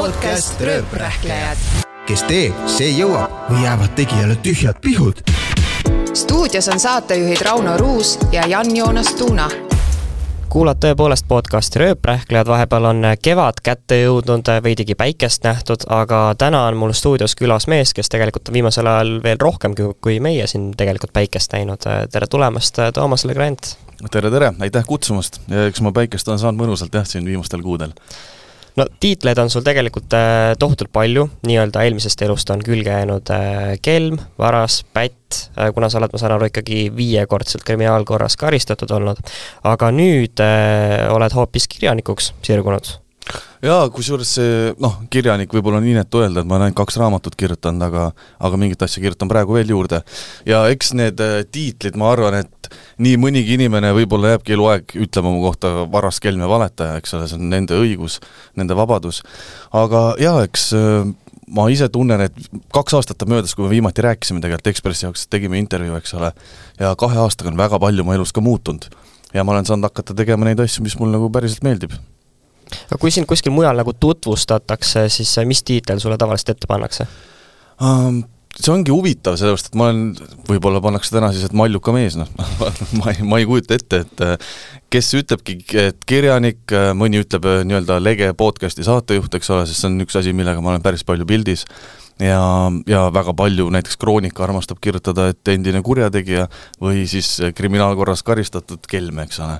Podcast Rööprähklejad. Kes teeb, see jõuab või jäävad tegijale tühjad pihud. Stuudios on saatejuhid Rauno Ruus ja Jan-Joonas Tuuna. Kuulad tõepoolest podcasti Rööprähklejad, vahepeal on kevad kätte jõudnud, veidigi päikest nähtud, aga täna on mul stuudios külas mees, kes tegelikult on viimasel ajal veel rohkem kui meie siin tegelikult päikest näinud. Tere tulemast, Toomas Legrand! Tere, aitäh kutsumast ja eks ma päikest on saanud mõnusalt siin viimastel kuudel. No tiitleid on sul tegelikult tohutult palju, nii-öelda eelmisest elust on külge jäänud kelm, varas, pätt, kuna sa oled, ma saan aru, ikkagi 5-kordselt kriminaalkorras karistatud olnud, aga nüüd oled hoopis kirjanikuks sirgunud. Jaa, kusjuures see, kirjanik võib-olla on inetu öelda, et ma olen 2 raamatut kirjutanud, aga mingit asja kirjutan praegu veel juurde. Ja eks need tiitlid, ma arvan, et nii mõnigi inimene võib-olla jääbki eluaeg ütlema mu kohta varas, kelm ja valetaja, eks ole, see on nende õigus, nende vabadus. Aga jaa, eks ma ise tunnen, et 2 aastat möödas, kui me viimati rääkisime tegelikult Ekspressi jaoks, tegime intervjuu, eks ole, ja 2 aastaga on väga palju mu elus ka muutunud. Ja ma olen saanud hakata tegema neid asju, mis mul nagu päriselt meeldib. Aga kui siin kuskil mujal nagu tutvustatakse, siis mis tiitel sulle tavaliselt ette pannakse? See ongi huvitav, sellepärast, et ma olen, võib-olla pannakse täna siis, et maljuka mees, ma ei kujuta ette, et kes ütlebki, et kirjanik, mõni ütleb nii-öelda lege podcasti saatejuht, eks ole, sest see on üks asi, millega ma olen päris palju pildis ja väga palju, näiteks Kroonika armastab kirjutada, et endine kurjategija või siis kriminaalkorras karistatud kelme, eks ole.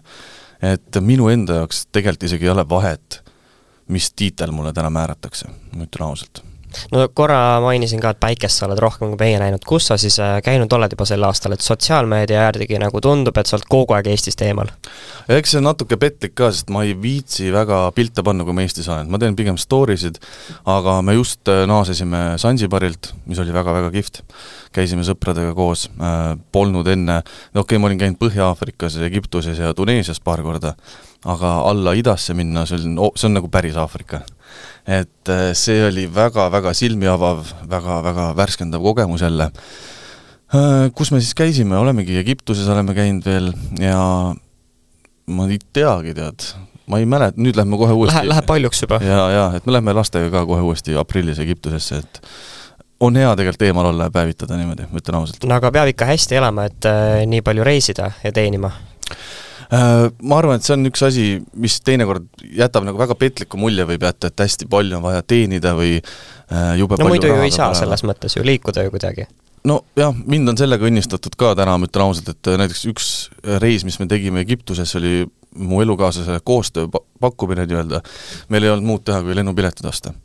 Et minu enda jaoks tegelikult isegi ei ole vahet, mis tiitel mulle täna määratakse, ma ütlen ausalt. No korra mainisin ka, et päikest sa oled rohkem kui meie näinud. Kus sa siis käinud oled juba sel aastal, et sotsiaalmeedia järgi nagu tundub, et sa oled kogu aeg Eestist eemal? Eks see on natuke petlik ka, sest ma ei viitsi väga pilte panna, kui ma Eestis olen. Ma teen pigem storisid, aga me just naasesime Sansibarilt, mis oli väga-väga kihvt. Käisime sõpradega koos, polnud enne, ma olin käinud Põhja-Aafrikas, Egiptuses ja Tuneesias paar korda, aga alla idasse minna, see on nagu päris Aafrika. Et see oli väga-väga silmiavav, väga-väga värskendav kogemus jälle. Kus me siis käisime? Olemegi Egiptuses oleme käinud veel ja ma ei teagi, ma ei mälet, nüüd lähme kohe uuesti. Läheb paljuks juba. Ja, et me lähme lastega ka kohe uuesti aprillis Egiptusesse, et on hea tegelikult eemal olla ja päevitada niimoodi, mõtlen ausalt. No aga peab ikka hästi elama, et nii palju reisida ja teenima. Ma arvan, et see on üks asi, mis teinekord jätab nagu väga petliku mulje võib jätta, et hästi palju on vaja teenida või jube palju muidu ju ei saa selles mõttes ju liikuda ju kuidagi. No jah, mind on sellega õnnistatud ka täna, ma ütlen ausalt, et näiteks üks reis, mis me tegime Egiptuses, oli mu elukaaslase koostöö pakkumine nii-öelda. Meil ei olnud muud teha, kui lennupiletid osta.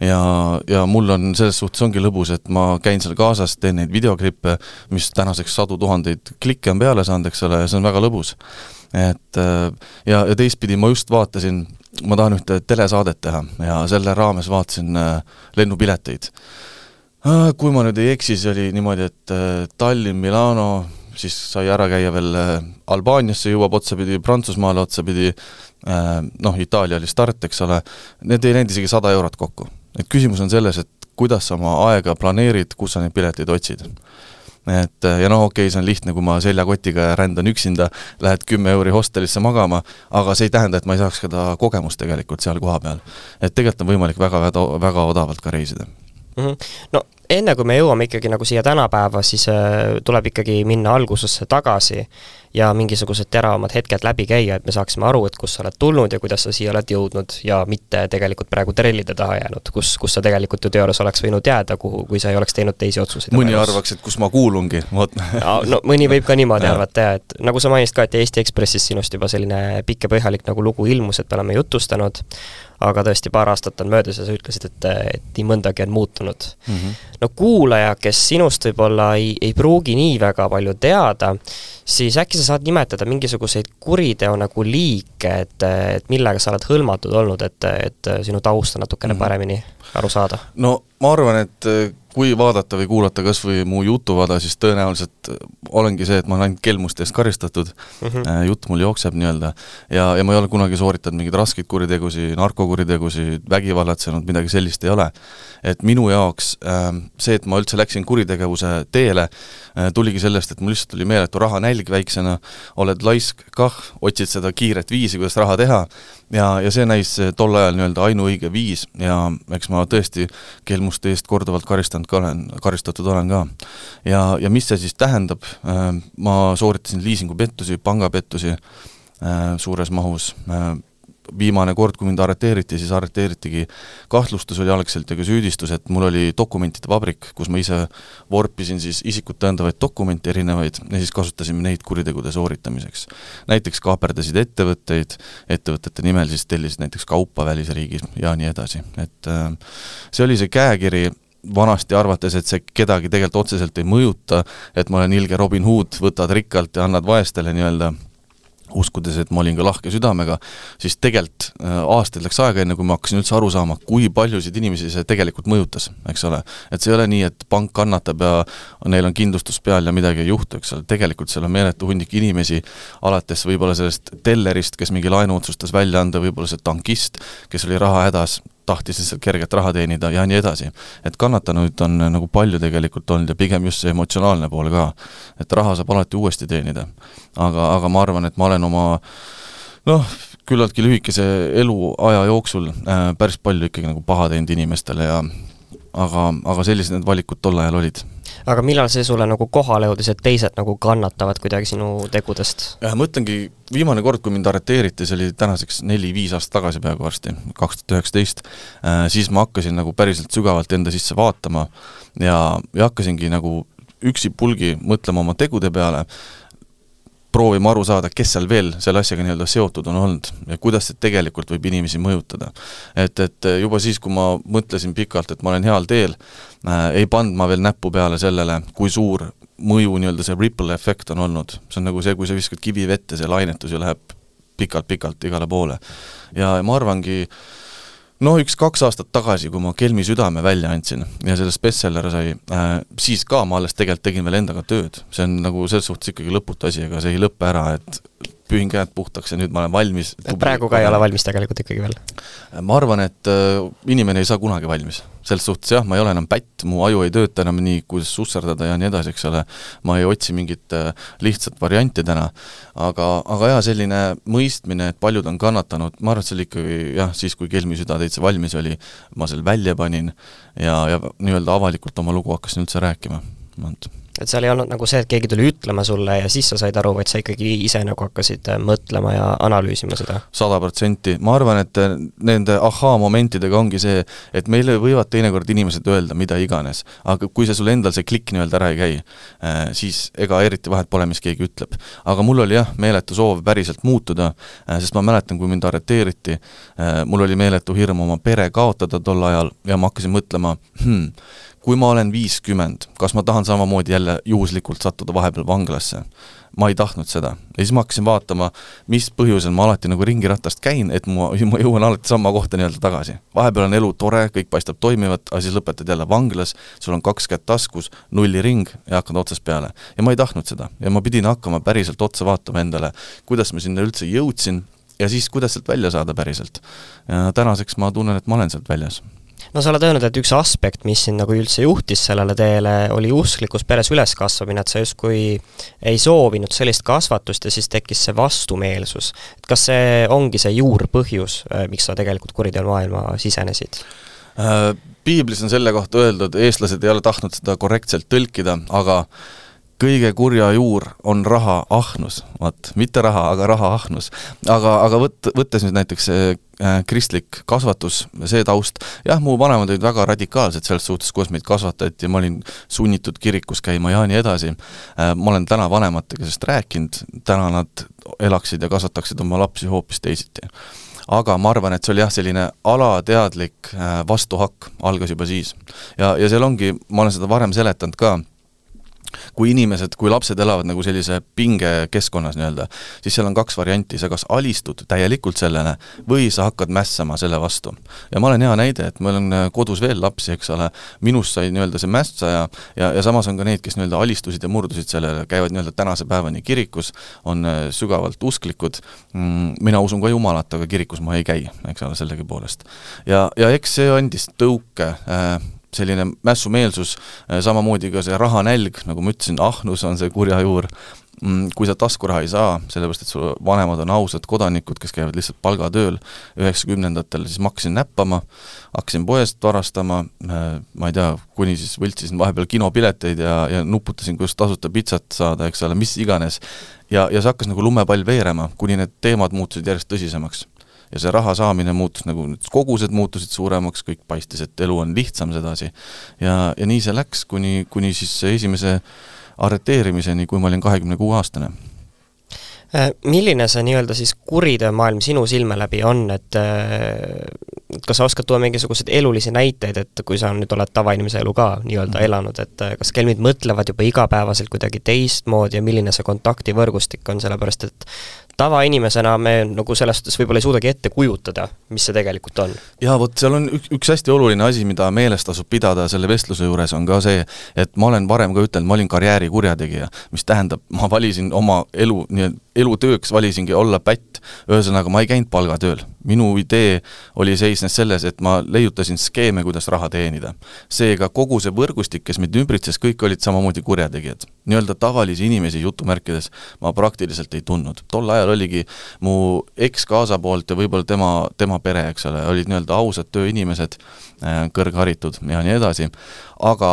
Ja mul on selles suhtes ongi lõbus, et ma käin seal kaasas, teen neid videoklippe, mis tänaseks 100 000 klikke on peale saanud, eks ole, ja see on väga lõbus. Ja teistpidi ma just vaatasin, ma tahan ühte telesaadet teha ja selle raames vaatasin lennupileteid. Kui ma nüüd ei eksi, siis oli niimoodi, et Tallinn, Milano, siis sai ära käia veel Albaaniasse jõuab otsapidi, Prantsusmaale otsapidi, Itaalia oli start, eks ole, need ei läinud isegi 100 eurot kokku. Et küsimus on selles, et kuidas sa oma aega planeerid, kus sa neid pileteid otsid. Ja see on lihtne, kui ma seljakotiga rändan üksinda, lähed 10 euri hostelisse magama, aga see ei tähenda, et ma ei saaks seda kogemust tegelikult seal koha peal. Et tegelikult on võimalik väga odavalt ka reisida. No enne kui me jõuame ikkagi nagu siia tänapäeva, siis tuleb ikkagi minna algusesse tagasi ja mingisugused teravamad hetked läbi käia, et me saaksime aru, et kus sa oled tulnud ja kuidas sa siia oled jõudnud ja mitte tegelikult praegu trellide taha jäänud, kus sa tegelikult ju teoorias oleks võinud jääda, kui sa ei oleks teinud teisi otsuseid. Mõni arvaks, et kus ma kuulungi. No mõni võib ka niimoodi arvata, et nagu sa mainist ka, et Eesti Ekspressis sinust juba selline pikk ja põhjalik nagu lugu ilmus, et me oleme jutustanud, aga tõesti paar aastat on möödas ja sa ütlesid, et nii mõndagi on muutunud. No kuulaja, kes sinust võib-olla ei pruugi nii väga palju teada, siis äkki sa saad nimetada mingisuguseid kuriteo nagu liike, et millega sa oled hõlmatud olnud, et sinu tausta natukene paremini aru saada? No ma arvan, et kui vaadata või kuulata kas või mu jutuvada, siis tõenäoliselt olengi see, et ma olen ainult kelmuste eest karistatud, jutt mul jookseb nii-öelda ja ma ei ole kunagi sooritanud mingeid raskeid kuritegusi, narkokuritegusi, vägivallatsenud, midagi sellist ei ole. Et minu jaoks see, et ma üldse läksin kuritegevuse teele, tuligi sellest, et mul lihtsalt tuli meeletu raha nälg väiksena, oled laisk kah, otsid seda kiiret viisi, kuidas raha teha ja see näis tol ajal nii-öelda ainuõige viis ja eks ma tõesti kelmuste eest korduvalt karistatud olen ka. Ja mis see siis tähendab? Ma sooritasin liisingupettusi, pangapettusi suures mahus. Viimane kord, kui mind arreteeriti, siis arreteeritigi kahtlustus oli algselt ja ka süüdistus, et mul oli dokumentide vabrik, kus ma ise vorpisin siis isikut tõendavaid dokumente erinevaid ja siis kasutasime neid kuritegude sooritamiseks. Näiteks kaaperdasid ettevõtete nimel siis tellisid näiteks kaupa välisriigis ja nii edasi. Et see oli see käekiri vanasti arvates, et see kedagi tegelikult otseselt ei mõjuta, et ma olen ilge Robin Hood, võtad rikkalt ja annad vaestele nii-öelda uskudes, et ma olin ka lahke südamega, siis tegelikult aastaid läks aega enne, kui ma hakkasin üldse aru saama, kui paljusid inimesi see tegelikult mõjutas, eks ole. Et see ei ole nii, et pank kannatab ja neil on kindlustus peal ja midagi ei juhtu, eks ole. Tegelikult seal on meeletu hundik inimesi, alates võib-olla sellest tellerist, kes mingi laenu otsustas välja anda, võib-olla see tankist, kes oli raha hädas, tahtis lihtsalt kerget raha teenida ja nii edasi. Et kannatanuid on nagu palju tegelikult olnud ja pigem just see emotsionaalne pool ka, et raha saab alati uuesti teenida. Aga ma arvan, et ma olen oma küllaltki lühikese eluaja jooksul päris palju ikkagi nagu paha teinud inimestele aga sellised need valikud tol ajal olid. Aga millal see sulle nagu kohale jõudis, et teised nagu kannatavad kuidagi sinu tegudest? Mõtlengi, viimane kord, kui mind arreteeriti, see oli tänaseks 4-5 aastat tagasi peaaegu varsti, 2019, siis ma hakkasin nagu päriselt sügavalt enda sisse vaatama ja hakkasingi nagu üksipulgi mõtlema oma tegude peale, proovima aru saada, kes seal veel selle asjaga nii-öelda seotud on olnud ja kuidas see tegelikult võib inimesi mõjutada. Et juba siis, kui ma mõtlesin pikalt, et ma olen heal teel, ei pannud ma veel näppu peale sellele, kui suur mõju nii-öelda see ripple effekt on olnud. See on nagu see, kui sa viskad kivi vette, see lainetus ju läheb pikalt igale poole. Ja ma arvangi, 1-2 aastat tagasi, kui ma Kelmi südame välja andsin ja selle bestseller sai, siis ka ma alles tegelikult tegin veel endaga tööd. See on nagu selles suhtes ikkagi lõputu asi, aga see ei lõppe ära, et pühin käed puhtaks ja nüüd ma olen valmis. Praegu ka ei ole valmis tegelikult ikkagi veel? Ma arvan, et inimene ei saa kunagi valmis. Selles suhtes jah, ma ei ole enam pätt, mu aju ei tööta enam nii, kuidas susserdada ja nii edasi, eks ole. Ma ei otsi mingit lihtsat varianti täna. Aga jah, selline mõistmine, et paljud on kannatanud, ma arvan, et see oli ikkagi jah, siis kui Kelmi süda täitsa valmis oli, ma selle välja panin ja nii-öelda avalikult oma lugu hakkasin üldse rääkima. Et seal ei olnud nagu see, et keegi tuli ütlema sulle ja siis sa said aru, vaid sa ikkagi ise nagu hakkasid mõtlema ja analüüsima seda? 100%. Ma arvan, et nende momentidega ongi see, et meile võivad teinekord inimesed öelda mida iganes, aga kui see sul endal see klikk nii-öelda ära ei käi, siis ega eriti vahet pole, mis keegi ütleb. Aga mul oli jah, meeletu soov päriselt muutuda, sest ma mäletan, kui mind arreteeriti, mul oli meeletu hirm oma pere kaotada tol ajal ja ma hakkasin mõtlema, kui ma olen 50, kas ma tahan samamoodi jälle juhuslikult sattuda vahepeal vanglasse? Ma ei tahtnud seda. Ja siis ma hakkasin vaatama, mis põhjusel ma alati nagu ringiratast käin, et ma jõuan alati sama kohta nii-öelda tagasi. Vahepeal on elu tore, kõik paistab toimivat, aga siis lõpetad jälle vanglas, sul on 2 kätt taskus, 0 ring ja hakkad otsast peale. Ja ma ei tahtnud seda. Ja ma pidin hakkama päriselt otsa vaatama endale, kuidas ma sinna üldse jõudsin ja siis kuidas sealt välja saada päriselt. Ja tänaseks ma tunnen, et ma olen sealt väljas. No sa oled öelnud, et üks aspekt, mis sind nagu üldse juhtis sellele teele, oli usklikus peres üleskasvamine, et sa justkui ei soovinud sellist kasvatust ja siis tekkis see vastumeelsus. Et kas see ongi see juurpõhjus, miks sa tegelikult kuriteel maailma sisenesid? Piiblis on selle kohta öeldud, eestlased ei ole tahtnud seda korrektselt tõlkida, aga kõige kurja juur on raha ahnus. Mitte raha, aga raha ahnus. Aga võttes nüüd näiteks kristlik kasvatus, see taust, jah, mu vanemad olid väga radikaalsed selles suhtes, kuidas meid kasvatati ja ma olin sunnitud kirikus käima ja nii edasi. Ma olen täna vanematega sellest rääkinud, täna nad elaksid ja kasvataksid oma lapsi hoopis teisiti. Aga ma arvan, et see oli jah, selline alateadlik vastuhakk algas juba siis. Ja seal ongi, ma olen seda varem seletanud ka, kui lapsed elavad nagu sellise pinge keskkonnas nii-öelda, siis seal on 2 varianti, sa kas alistud täielikult sellele või sa hakkad mässama selle vastu. Ja ma olen hea näide, et meil on kodus veel lapsi, eks ole, minust sai nii-öelda see mässaja ja samas on ka neid, kes nii-öelda alistusid ja murdusid sellele, käivad nii-öelda tänase päevani kirikus, on sügavalt usklikud. Mina usun ka Jumalat, aga kirikus ma ei käi, eks ole, sellegi poolest. Ja eks see andis tõuke selline mässumeelsus, samamoodi ka see rahanälg, nagu ma ütlesin, ahnus on see kurja juur, kui sa taskuraha ei saa, sellepärast, et su vanemad on ausad kodanikud, kes käivad lihtsalt palgatööl 90-ndatel, siis ma hakkasin näppama, hakkasin poest varastama, ma ei tea, kuni siis võltsisin vahepeal kinopileteid ja nuputasin, kuidas tasuta pitsat saada, eks ole, mis iganes. Ja see hakkas nagu lumepall veerema, kuni need teemad muutusid järjest tõsisemaks. Ja see raha saamine muutus nagu, kogused muutusid suuremaks, kõik paistis, et elu on lihtsam sedasi. Ja nii see läks, kuni siis esimese arreteerimiseni, kui ma olin 26-aastane. Milline see nii-öelda siis kuritöömaailm sinu silme läbi on, et kas sa oskad tuua mingisugused elulisi näiteid, et kui sa nüüd oled tavainimese elu ka nii-öelda elanud, et kas kelmid mõtlevad juba igapäevaselt kuidagi teistmoodi ja milline see kontaktivõrgustik on, sellepärast et tavainimesena me nagu selles suhtes võib-olla ei suudagi ette kujutada, mis see tegelikult on. Ja vot seal on üks hästi oluline asi, mida meeles tasub pidada selle vestluse juures, on ka see, et ma olen varem ka ütelnud, ma olin karjääri kurjategija, mis tähendab, ma valisin oma elutööks valisingi olla pätt, ühesõnaga ma ei käinud palgatööl. Minu idee oli seisnes selles, et ma leiutasin skeeme, kuidas raha teenida. Seega kogu see võrgustik, kes mind ümbritses, kõik olid samamoodi kurjategijad. Nii-öelda tavalisi inimesi jutumärkides ma praktiliselt ei tundnud. Tol ajal oligi mu eks-kaasa poolt ja võib-olla tema pere, eks ole, olid nii-öelda ausad tööinimesed, kõrgharitud ja nii edasi. Aga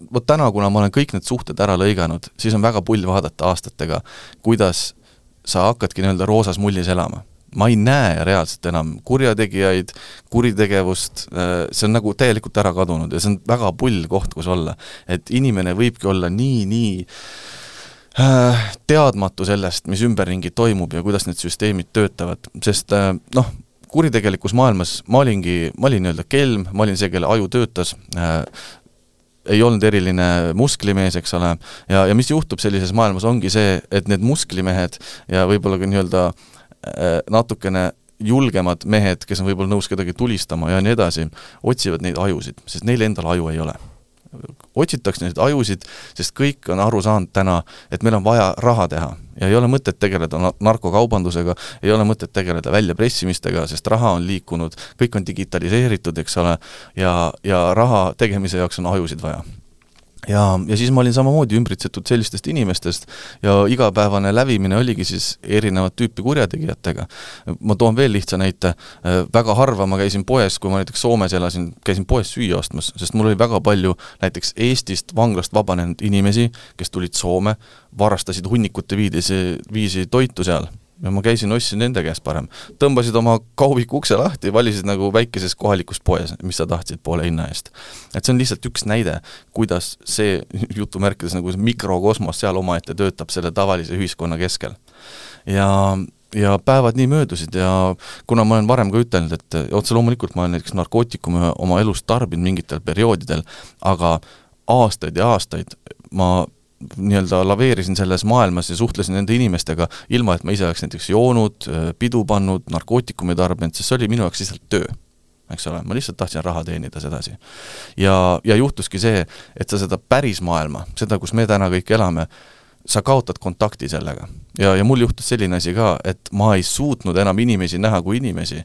vot täna, kuna ma olen kõik need suhted ära lõiganud, siis on väga pull vaadata aastatega, kuidas sa hakkadki nii-öelda roosas mullis elama. Ma ei näe reaalselt enam kurjategijaid, kuritegevust, see on nagu täielikult ära kadunud ja see on väga pull koht, kus olla. Et inimene võibki olla nii teadmatu sellest, mis ümberringi toimub ja kuidas need süsteemid töötavad, sest kuritegelikus maailmas ma olin nii-öelda kelm, ma olin see, kelle aju töötas, ei olnud eriline musklimees, eks ole, ja mis juhtub sellises maailmas ongi see, et need musklimehed ja võib-olla ka nii-öelda natukene julgemad mehed, kes on võib-olla nõus kedagi tulistama ja nii edasi, otsivad neid ajusid, sest neil endal aju ei ole. Otsitakse neid ajusid, sest kõik on aru saanud täna, et meil on vaja raha teha ja ei ole mõtet tegeleda narkokaubandusega, ei ole mõtet tegeleda väljapressimistega, sest raha on liikunud, kõik on digitaliseeritud, eks ole, ja raha tegemise jaoks on ajusid vaja. Ja siis ma olin samamoodi ümbritsetud sellistest inimestest ja igapäevane lävimine oligi siis erinevad tüüpi kurjategijatega. Ma toon veel lihtsa näite, väga harva ma käisin poes, kui ma näiteks Soomes elasin, käisin poes süüa ostmas, sest mul oli väga palju näiteks Eestist vanglast vabanenud inimesi, kes tulid Soome, varastasid hunnikute viisi toitu seal. Ja ma käisin, ostsin nende käest parem. Tõmbasid oma kaubiku ukse lahti, valisid nagu väikeses kohalikus poes, mis sa tahtsid poole hinna eest. Et see on lihtsalt üks näide, kuidas see jutumärkides nagu mikrokosmos seal omaette töötab selle tavalise ühiskonna keskel. Ja päevad nii möödusid ja kuna ma olen varem ka ütelnud, et otse loomulikult ma olen näiteks narkootikume oma elust tarbinud mingitel perioodidel, aga aastaid ja aastaid ma nii-öelda laveerisin selles maailmas ja suhtlesin nende inimestega, ilma et ma ise oleks näiteks joonud, pidu pannud, narkootikumi tarbinud, sest see oli minu jaoks lihtsalt töö. Eks ole, ma lihtsalt tahtsin raha teenida sedasi. Ja juhtuski see, et sa seda päris maailma, seda, kus me täna kõik elame, sa kaotad kontakti sellega. Ja mul juhtus selline asi ka, et ma ei suutnud enam inimesi näha kui inimesi.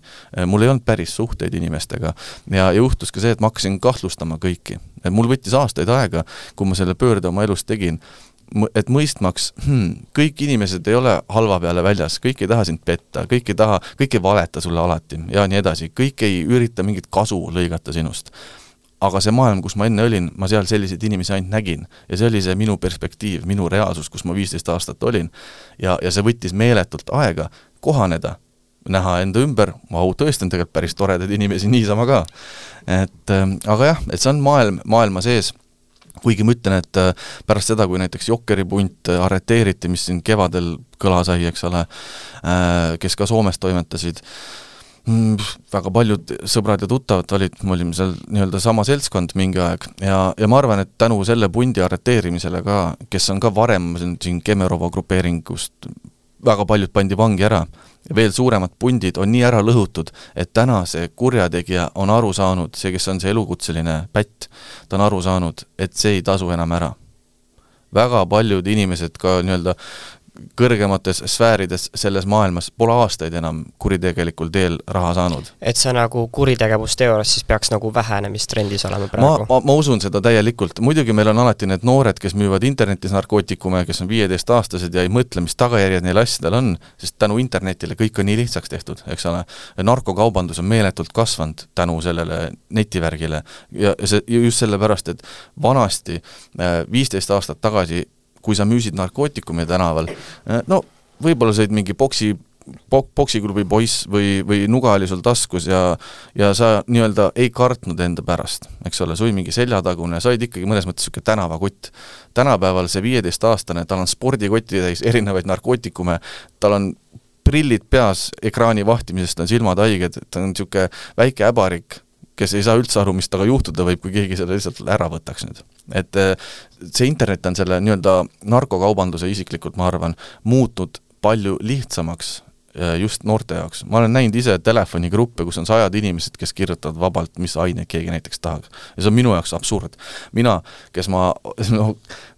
Mul ei olnud päris suhteid inimestega. Ja juhtus ka see, et ma hakkasin kahtlustama kõiki. Mul võttis aastaid aega, kui ma selle pöörde oma elust tegin, et mõistmaks, kõik inimesed ei ole halva peale väljas, kõik ei taha sind petta, kõik ei valeta sulle alati ja nii edasi, kõik ei ürita mingit kasu lõigata sinust. Aga see maailm, kus ma enne olin, ma seal selliseid inimesi ainult nägin ja see oli see minu perspektiiv, minu reaalsus, kus ma 15 aastat olin ja see võttis meeletult aega kohaneda, näha enda ümber, tõesti on tegelikult päris toredad inimesi niisama ka. Aga jah, et see on maailma sees, kuigi ma ütlen, et pärast seda, kui näiteks Jokkeripunt arreteeriti, mis siin kevadel kõla sai, eks ole, kes ka Soomes toimetasid, väga paljud sõbrad ja tuttavad olid, me olime seal nii-öelda sama seltskond mingi aeg ja ma arvan, et tänu selle pundi arreteerimisele ka, kes on ka varem siin Kemerova grupeeringust, väga paljud pandi vangi ära ja veel suuremad pundid on nii ära lõhutud, et täna see kurjategija on aru saanud, see, kes on see elukutseline pätt, ta on aru saanud, et see ei tasu enam ära. Väga paljud inimesed ka nii-öelda kõrgemates sfäärides selles maailmas pole aastaid enam kuritegelikul teel raha saanud. Et see nagu kuritegevusteoorias siis peaks nagu vähenemistrendis olema praegu? Ma usun seda täielikult. Muidugi meil on alati need noored, kes müüvad internetis narkootikume, kes on 15-aastased ja ei mõtle, mis tagajärjed neil asjadel on, sest tänu internetile kõik on nii lihtsaks tehtud, eks ole. Narkokaubandus on meeletult kasvanud tänu sellele netivärgile ja just sellepärast, et vanasti 15 aastat tagasi kui sa müüsid narkootikumi tänaval, no võib-olla said mingi poksiklubi poiss või nuga oli sul taskus ja sa nii-öelda ei kartnud enda pärast, eks ole, sui mingi seljatagune, said ikkagi mõnes mõttes siuke tänavakott. Tänapäeval see 15-aastane, tal on spordikotti täis erinevaid narkootikume, tal on prillid peas ekraani vahtimisest, on silmad haiged, ta on siuke väike äbarik, kes ei saa üldse aru, mis taga juhtuda võib, kui keegi selle lihtsalt ära võtaks nüüd. Et see internet on selle nii-öelda narkokaubanduse isiklikult, ma arvan, muutnud palju lihtsamaks just noorte jaoks. Ma olen näinud ise telefonigruppe, kus on 100 inimesed, kes kirjutavad vabalt, mis aineid keegi näiteks tahaks. Ja see on minu jaoks absurd. Mina, kes ma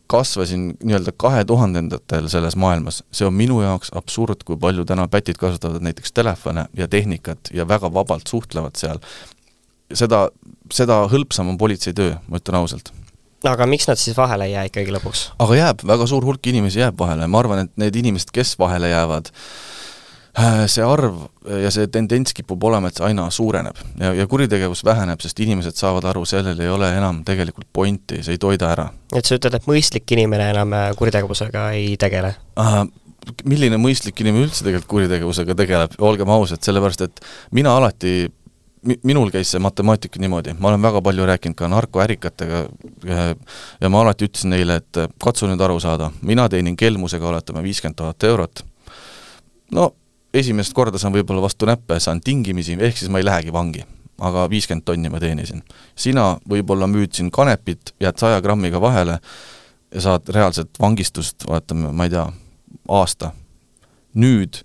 kasvasin nii-öelda 2000-ndatel selles maailmas, see on minu jaoks absurd, kui palju täna pätid kasutavad näiteks telefone ja tehnikat ja väga vabalt suhtlevad seal. Seda hõlpsam on politsei töö, ma ütlen ausalt. Aga miks nad siis vahele jää ikkagi lõpuks? Aga jääb, väga suur hulk inimesi jääb vahele. Ma arvan, et need inimesed, kes vahele jäävad, see arv ja see tendents kipub olema, et see aina suureneb ja kuritegevus väheneb, sest inimesed saavad aru, sellel ei ole enam tegelikult pointi, see ei toida ära. Et sa ütled, et mõistlik inimene enam kuritegevusega ei tegele? Milline mõistlik inimene üldse tegelikult kuritegevusega tegeleb? Olgem ausad, sellepärast, et minul käis see matemaatika niimoodi, ma olen väga palju rääkinud ka narkoärikatega ja ma alati ütlesin neile, et katsu nüüd aru saada, mina teenin kelmusega oletame 50 000 eurot. No, esimest korda saan võib-olla vastu näppe, saan tingimisi, ehk siis ma ei lähegi vangi, aga 50 tonni ma teenisin. Sina võib-olla müüdsin kanepit, jääd 100 grammiga vahele ja saad reaalselt vangistust, oletame, ma ei tea, aasta. Nüüd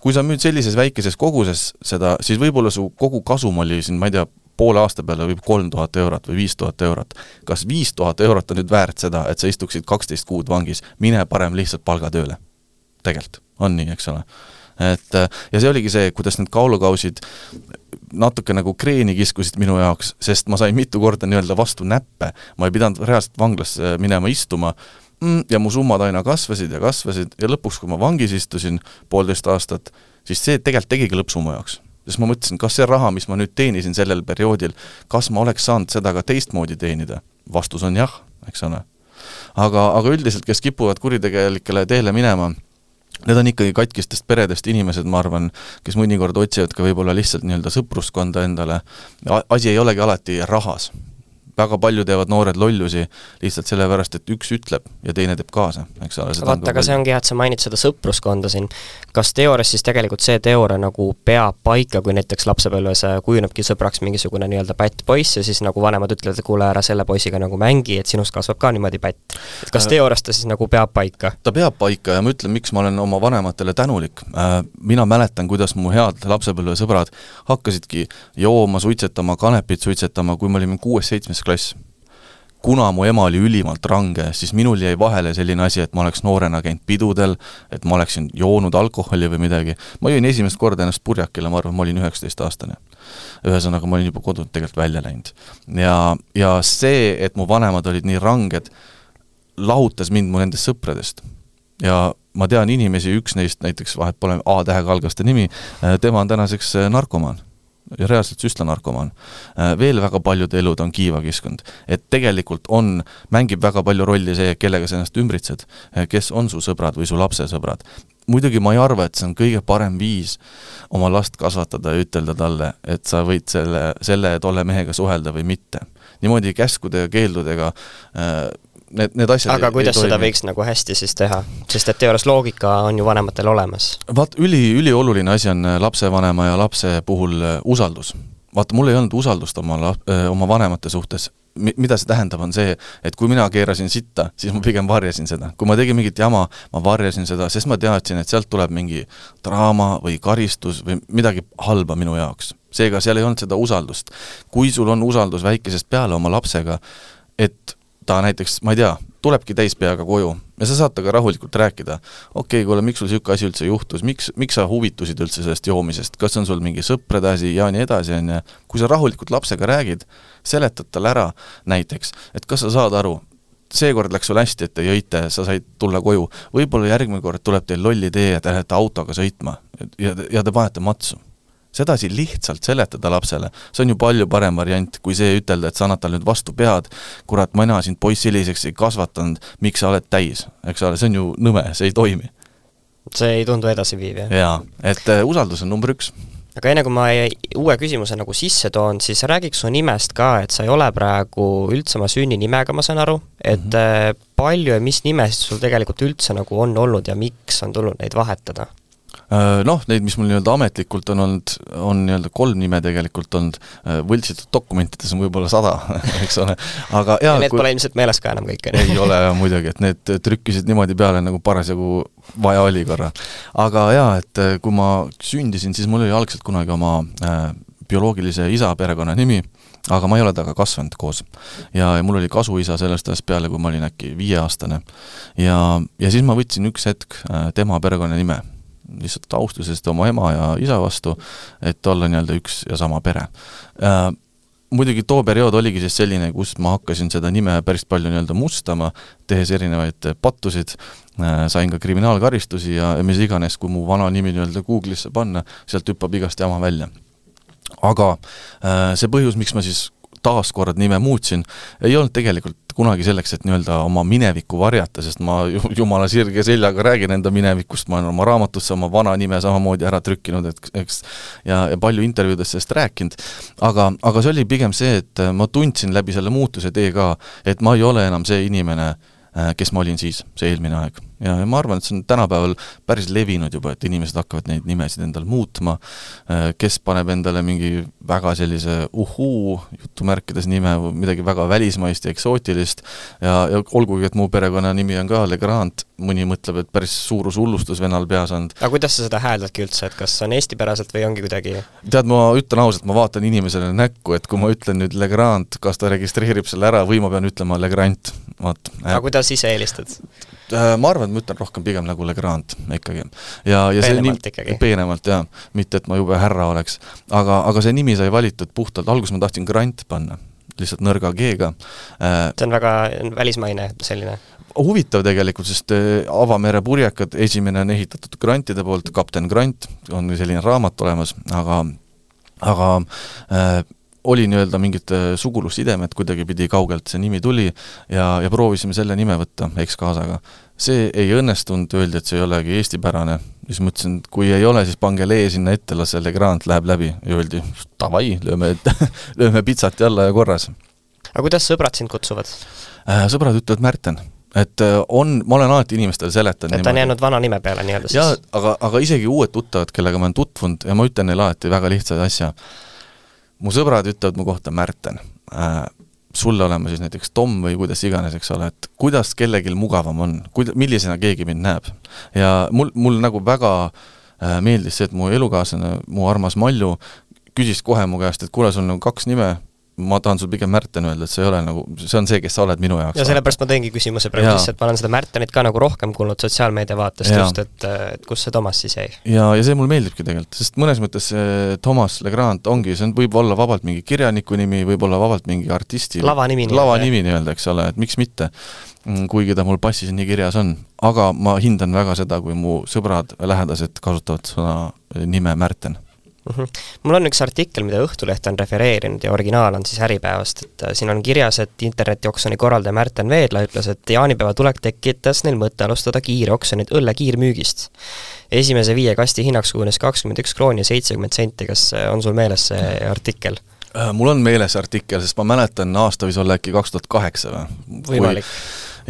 kui sa müüd sellises väikeses koguses seda, siis võib-olla su kogu kasum oli siin, ma ei tea, poole aasta peale võib 3000 eurot või 5000 eurot. Kas 5000 eurot on nüüd väärt seda, et sa istuksid 12 kuud vangis? Mine parem lihtsalt palgatööle. Tegelikult on nii, eks ole. Ja see oligi see, kuidas need kaalukausid natuke nagu kreeni kiskusid minu jaoks, sest ma sain mitu korda nii-öelda vastu näppe. Ma ei pidanud reaalselt vanglasse minema istuma, ja mu summad aina kasvasid ja lõpuks, kui ma vangis istusin 1,5 aastat, siis see tegelikult tegigi lõpsu mu jaoks. Sest ma mõtlesin, kas see raha, mis ma nüüd teenisin sellel perioodil, kas ma oleks saanud seda ka teistmoodi teenida? Vastus on jah, eks ole. Aga üldiselt, kes kipuvad kuritegelikele teele minema, need on ikkagi katkistest peredest inimesed, ma arvan, kes mõnikord otsivad ka võib-olla lihtsalt nii-öelda sõpruskonda endale. Asi ei olegi alati rahas. Väga palju teevad noored lollusi lihtsalt sellepärast, et üks ütleb ja teine teeb kaasa. Vaata, aga see ongi hea, et sa mainid seda sõpruskonda siin. Kas teoorias siis tegelikult see teooria nagu peab paika, kui näiteks lapsepõlves kujunebki sõbraks mingisugune nii-öelda pätt poiss ja siis nagu vanemad ütlevad, et kuule ära selle poisiga nagu mängi, et sinust kasvab ka niimoodi pätt. Kas teoorias ta siis nagu peab paika? Ta peab paika ja ma ütlen, miks ma olen oma vanematele tänulik. Mina mäletan, kuidas mu head lapsepõlve sõbrad hakkasidki jooma, suitsetama, kanepit suitsetama, kui me olime 6-7 klass. Kuna mu ema oli ülimalt range, siis minul jäi vahele selline asi, et ma oleks noorena käinud pidudel, et ma oleksin joonud alkoholi või midagi. Ma jõin esimest korda ennast purjakile, ma arvan, ma olin 19-aastane. Ühesõnaga, ma olin juba kodult tegelikult välja läinud. Ja see, et mu vanemad olid nii ranged, lahutas mind mu nendest sõpradest. Ja ma tean inimesi, üks neist näiteks, vahet pole A-tähega algaste nimi, tema on tänaseks narkomaan. Ja reaalselt süstlanarkomaan. Veel väga paljud elud on kiiva kiskund. Et tegelikult mängib väga palju rolli see, kellega sa ennast ümbritsed, kes on su sõbrad või su lapse sõbrad. Muidugi ma ei arva, et see on kõige parem viis oma last kasvatada ja ütelda talle, et sa võid selle tolle mehega suhelda või mitte. Niimoodi käskude ja keeldudega need asjad aga kuidas seda võiks nagu hästi siis teha? Sest et teoorias loogika on ju vanematel olemas. Vaat, ülioluline asi on lapsevanema ja lapse puhul usaldus. Vaata, mul ei olnud usaldust oma vanemate suhtes. Mida see tähendab on see, et kui mina keerasin sitta, siis ma pigem varjasin seda. Kui ma tegin mingit jama, ma varjasin seda, sest ma teadsin, et sealt tuleb mingi draama või karistus või midagi halba minu jaoks. Seega seal ei olnud seda usaldust. Kui sul on usaldus väikesest peale oma lapsega, et ta näiteks, ma ei tea, tulebki täispeaga koju ja sa saad temaga rahulikult rääkida, okei, kuule, miks sul siuke asi üldse juhtus, miks sa huvitusid üldse sellest joomisest, kas on sul mingi sõprade asi ja nii edasi, kui sa rahulikult lapsega räägid, seletad talle ära näiteks, et kas sa saad aru, seekord läks sul hästi, et te jõite, sa said tulla koju, võib-olla järgmine kord tuleb teil lolli tee ja te lähete autoga sõitma ja te panete matsu. Sedasi lihtsalt seletada lapsele, see on ju palju parem variant, kui see ütelda, et sa annad tal nüüd vastu pead, kurat, mina sind poiss selliseks ei kasvatanud, miks sa oled täis, eks ole, see on ju nõme, see ei toimi. See ei tundu edasiviiv, jah? Jaa, et usaldus on number 1. Aga enne kui ma uue küsimuse nagu sisse toon, siis räägiks su nimest ka, et sa ei ole praegu üldse oma sünninimega, ma saan aru, et palju ja mis nimest sul tegelikult üldse nagu on olnud ja miks on tulnud neid vahetada? Noh, neid, mis mul nii-öelda ametlikult on olnud, on nii-öelda 3 nime tegelikult olnud, võltsitud dokumentides on võib-olla 100, eks ole, aga ja need pole ilmselt meeles ka enam kõik. Ei ole muidugi, et need trükkisid niimoodi peale, nagu parasjagu vaja oli korra. Aga jaa, et kui ma sündisin, siis mul oli algselt kunagi oma bioloogilise isa perekonna nimi, aga ma ei ole temaga kasvanud koos. Ja mul oli kasuisa sellest ajast peale, kui ma olin äkki 5-aastane. Ja siis ma võtsin üks hetk tema perekonna nime, lihtsalt austusest oma ema ja isa vastu, et olla nii-öelda üks ja sama pere. Muidugi too periood oligi siis selline, kus ma hakkasin seda nime päris palju nii-öelda mustama, tehes erinevaid pattusid, sain ka kriminaalkaristusi ja mis iganes, kui mu vana nimi nii-öelda Google'isse panna, sealt hüppab igast jama välja. Aga see põhjus, miks ma siis taaskord nime muutsin, ei olnud tegelikult kunagi selleks, et nii-öelda oma minevikku varjata, sest ma jumala sirge seljaga räägin enda minevikust, ma olen oma raamatusse oma vana nime samamoodi ära trükkinud, eks, ja palju intervjuudest sellest rääkinud, aga see oli pigem see, et ma tundsin läbi selle muutuse tee ka, et ma ei ole enam see inimene, kes ma olin siis, see eelmine aeg. Ja ma arvan, et see on tänapäeval päris levinud juba, et inimesed hakkavad neid nimesid endal muutma, kes paneb endale mingi väga sellise jutumärkides nime, midagi väga välismaist ja eksootilist ja olgugi, et mu perekonna nimi on ka Legrand, mõni mõtleb, et päris suurus hullustus venal peas on. Aga kuidas sa seda hääldadki üldse, et kas on eestipäraselt või ongi kuidagi? Tead, ma ütlen ausalt, ma vaatan inimesele näkku, et kui ma ütlen nüüd Legrand, kas ta registreerib selle ära või ma pean ütlema Legrand. Aga kuidas ise eelistad? Ma arvan, et ma ütlen rohkem pigem nagu Legrand ikkagi. Ja peenemalt ikkagi. Peenemalt, jah. Mitte, et ma jube härra oleks. Aga see nimi sai valitud puhtalt. Alguses ma tahtsin Grant panna, lihtsalt nõrga G-ga. See on väga välismaine selline. Huvitav tegelikult, sest Avamere purjekad, esimene on ehitatud Grantide poolt, kapten Grant, on selline raamat olemas, aga oli nii-öelda mingid sugulussidemed, kuidagi pidi kaugelt see nimi tuli ja proovisime selle nime võtta ekskaasaga. See ei õnnestunud, öeldi, et see ei olegi eestipärane. Siis mõtlesin, et kui ei ole, siis pange lee sinna ette, las selle Grant läheb läbi. Ja öeldi, tavai, lööme pitsati alla ja korras. Aga kuidas sõbrad sind kutsuvad? Sõbrad ütlevad Märten. Et ma olen alati inimestele seletanud. Et ta on jäänud vana nime peale nii-öelda siis? Ja, aga isegi uued tuttavad, kellega ma olen tutvunud ja ma ütlen neile alati väga lihtsaid asja. Mu sõbrad ütlevad mu kohta Märten. Sulle olema siis näiteks Tom või kuidas iganes, eks ole, et kuidas kellegil mugavam on, millisena keegi mind näeb. Ja mul nagu väga meeldis see, et mu elukaaslane, mu armas Malju, küsis kohe mu käest, et kuule, sul on 2 nime, ma tahan sul pigem Märten öelda, et see ei ole nagu, see on see, kes sa oled minu jaoks. Ja sellepärast ma teengi küsimuse praegu lihtsalt, ma olen seda Märtenit ka nagu rohkem kuulnud sotsiaalmeedia vaatest just, et kus see Thomas siis jäi. Ja see mul meeldibki tegelikult, sest mõnes mõttes Thomas Legrand ongi, see võib olla vabalt mingi kirjaniku nimi, võib olla vabalt mingi artisti. Lavanimi nii-öelda, eks ole, et miks mitte, kuigi ta mul passis nii kirjas on. Aga ma hindan väga seda, kui mu sõbrad lähedased kasutavad sõna nime Märten. Mul on üks artikkel, mida Õhtuleht on refereerinud ja originaal on siis Äripäevast, et siin on kirjas, et internetioksjoni korraldaja Märten Veedla ütles, et jaanipäeva tulek tekitas neil mõtte alustada kiiroksjonit õlle kiirmüügist. Esimese 5 kasti hinnaks kujunes 21 krooni ja 70 senti, kas on sul meeles see artikkel? Mul on meeles artikkel, sest ma mäletan aasta võis olla äkki 2008 või? Võimalik.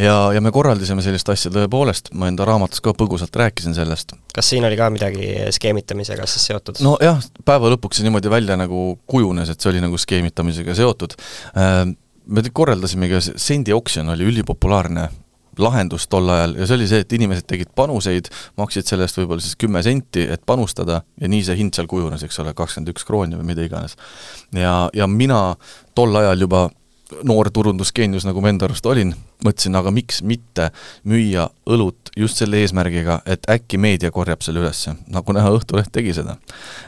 Ja me korraldisime sellist asja tõepoolest, ma enda raamatus ka põgusalt rääkisin sellest. Kas siin oli ka midagi skeemitamisega siis seotud? No jah, päeva lõpuks see niimoodi välja nagu kujunes, et see oli nagu skeemitamisega seotud. Me korraldasimegi, sendi oksjon oli ülipopulaarne lahendus tol ajal ja see oli see, et inimesed tegid panuseid, maksid sellest võib-olla siis 10 senti, et panustada ja nii see hind seal kujunes, eks ole, 21 krooni või mida iganes. Ja mina tol ajal juba noor turundusgeenius, nagu ma enda arust olin, mõtlesin, aga miks mitte müüa õlut just selle eesmärgiga, et äkki meedia korjab selle ülesse, nagu näha Õhtuleht tegi seda.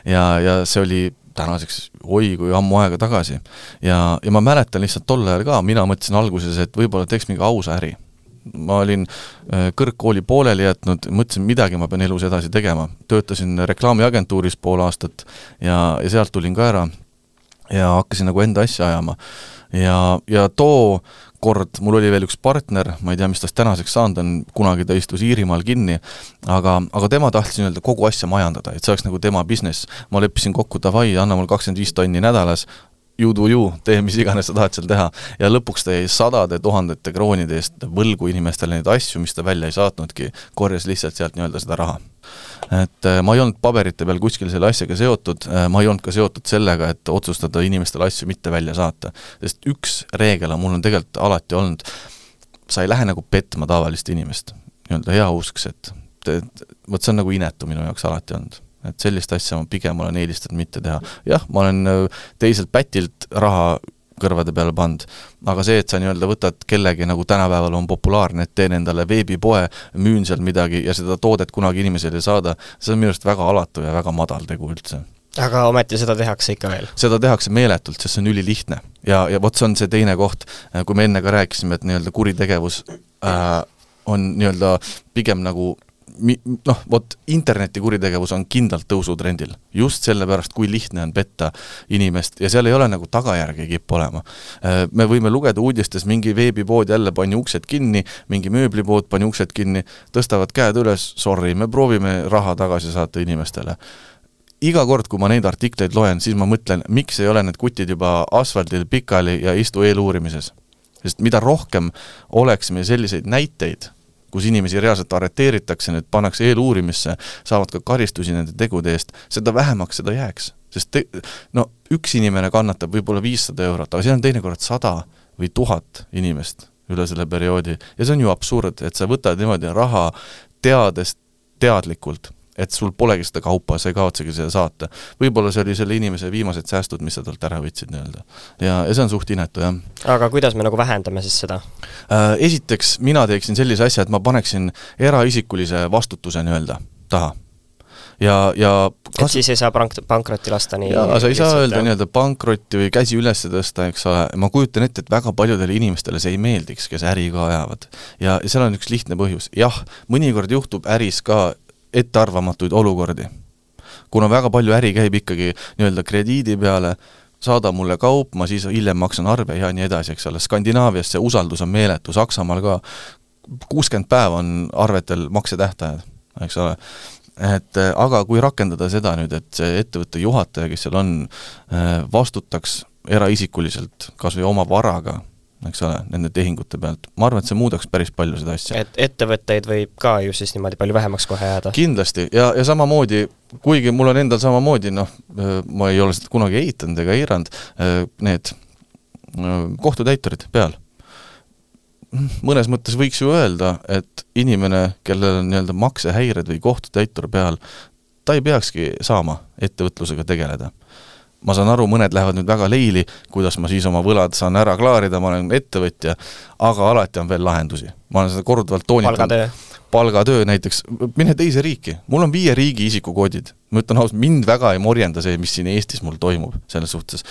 Ja see oli tänaseks kui ammu aega tagasi. Ja ma mäletan lihtsalt tol ajal ka, mina mõtlesin alguses, et võib-olla teeks mingi ausa äri. Ma olin kõrgkooli pooleli jätnud, mõtlesin, midagi ma pean elus edasi tegema. Töötasin reklaamiagentuuris pool aastat ja sealt tulin ka ära ja hakkasin nagu enda asja ajama. Ja too kord mul oli veel üks partner, ma ei tea, mis tast tänaseks saanud on, kunagi ta istus Iirimaal kinni, aga tema tahtis öelda kogu asja majandada, et see oleks nagu tema business. Ma leppisin kokku, davai, anna mul 25 tonni nädalas, tee mis iganes sa tahad seal teha. Ja lõpuks ta jäi 100 000 kroonide eest võlgu inimestele neid asju, mis ta välja ei saatnudki, korjas lihtsalt sealt nii-öelda seda raha. Et ma ei olnud paberite peal kuskil selle asjaga seotud, ma ei olnud ka seotud sellega, et otsustada inimestele asju mitte välja saata. Sest üks reegel on mul on tegelikult alati olnud, sa ei lähe nagu petma tavalist inimest, nii-öelda hea usks, et võt see on nagu inetu minu jaoks alati olnud. Et sellist asja ma pigem olen eelistanud mitte teha. Jah, ma olen teiselt pätilt raha kõrvade peale pand, aga see, et sa nii-öelda võtad kellegi, nagu tänapäeval on populaarne, et teen endale veebipoe, müün seal midagi ja seda toodet kunagi inimesele saada, see on minu arust väga alatu ja väga madal tegu üldse. Aga ometi seda tehakse ikka veel? Seda tehakse meeletult, sest see on ülilihtne. Ja vot see on see teine koht, kui me enne ka rääkisime, et nii-öelda kuritegevus on nii-öelda pigem nagu interneti kuritegevus on kindlalt tõusutrendil. Just sellepärast, kui lihtne on petta inimest ja seal ei ole nagu tagajärgi kippu olema. Me võime lugeda uudistes, mingi veebipood jälle pani uksed kinni, mingi mööblipood pani uksed kinni, tõstavad käed üles, sorry, me proovime raha tagasi saata inimestele. Iga kord, kui ma neid artikleid loen, siis ma mõtlen, miks ei ole need kutid juba asfaldil pikali ja istu eeluurimises. Sest mida rohkem oleksime selliseid näiteid, kus inimesi reaalselt arreteeritakse, need pannakse eeluurimisse, saavad ka karistusi nende tegude eest, seda vähemaks seda jääks. Sest üks inimene kannatab võib-olla 500 €, aga see on teinekord 100 või 1000 inimest üle selle perioodi. Ja see on ju absurd, et sa võtad niimoodi raha teadlikult, et sul polegi seda kaupa, sa ei kaotsegi seda saata. Võib-olla see oli selle inimese viimased säästud, mis sa talt ära võtsid nii-öelda. Ja see on suht inetu, jah. Aga kuidas me nagu vähendame siis seda? Esiteks, mina teeksin sellise asja, et ma paneksin eraisikulise vastutuse nii-öelda taha. Et siis ei saa pankrotti lasta nii? Jaa, sa ei saa öelda nii-öelda pankrotti või käsi üles tõsta, eks ole. Ma kujutan ette, et väga paljudele inimestele see ei meeldiks, kes äri ka ajavad. Ja seal on üks lihtne põhjus. Jah, mõnikord juhtub äris ka ettearvamatuid olukordi. Kuna väga palju äri käib ikkagi nii-öelda krediidi peale, saada mulle kaup, ma siis hiljem maksan arve ja nii edasi, eks ole. Skandinaavias see usaldus on meeletu, Saksamaal ka 60 päeva on arvetel maksetähtajad, eks ole. Aga kui rakendada seda nüüd, et see ettevõtte juhataja, kes seal on, vastutaks eraisikuliselt kas või oma varaga, eks ole, nende tehingute pealt. Ma arvan, et see muudaks päris palju seda asja. Et ettevõtteid võib ka ju siis niimoodi palju vähemaks kohe jääda. Kindlasti, ja samamoodi, kuigi mul on endal samamoodi, ma ei ole seda kunagi eitanud ega eiranud, need kohtutäiturid peal. Mõnes mõttes võiks ju öelda, et inimene, kellel on nii-öelda maksehäired või kohtutäitur peal, ta ei peakski saama ettevõtlusega tegeleda. Ma saan aru, mõned lähevad nüüd väga leili, kuidas ma siis oma võlad saan ära klaarida, ma olen ettevõtja, aga alati on veel lahendusi. Ma olen seda korduvalt toonitanud. Palgatöö näiteks, mine teise riiki. Mul on 5 riigi isikukoodid. Ma ütlen ausalt, mind väga ei morjenda see, mis siin Eestis mul toimub selles suhtes.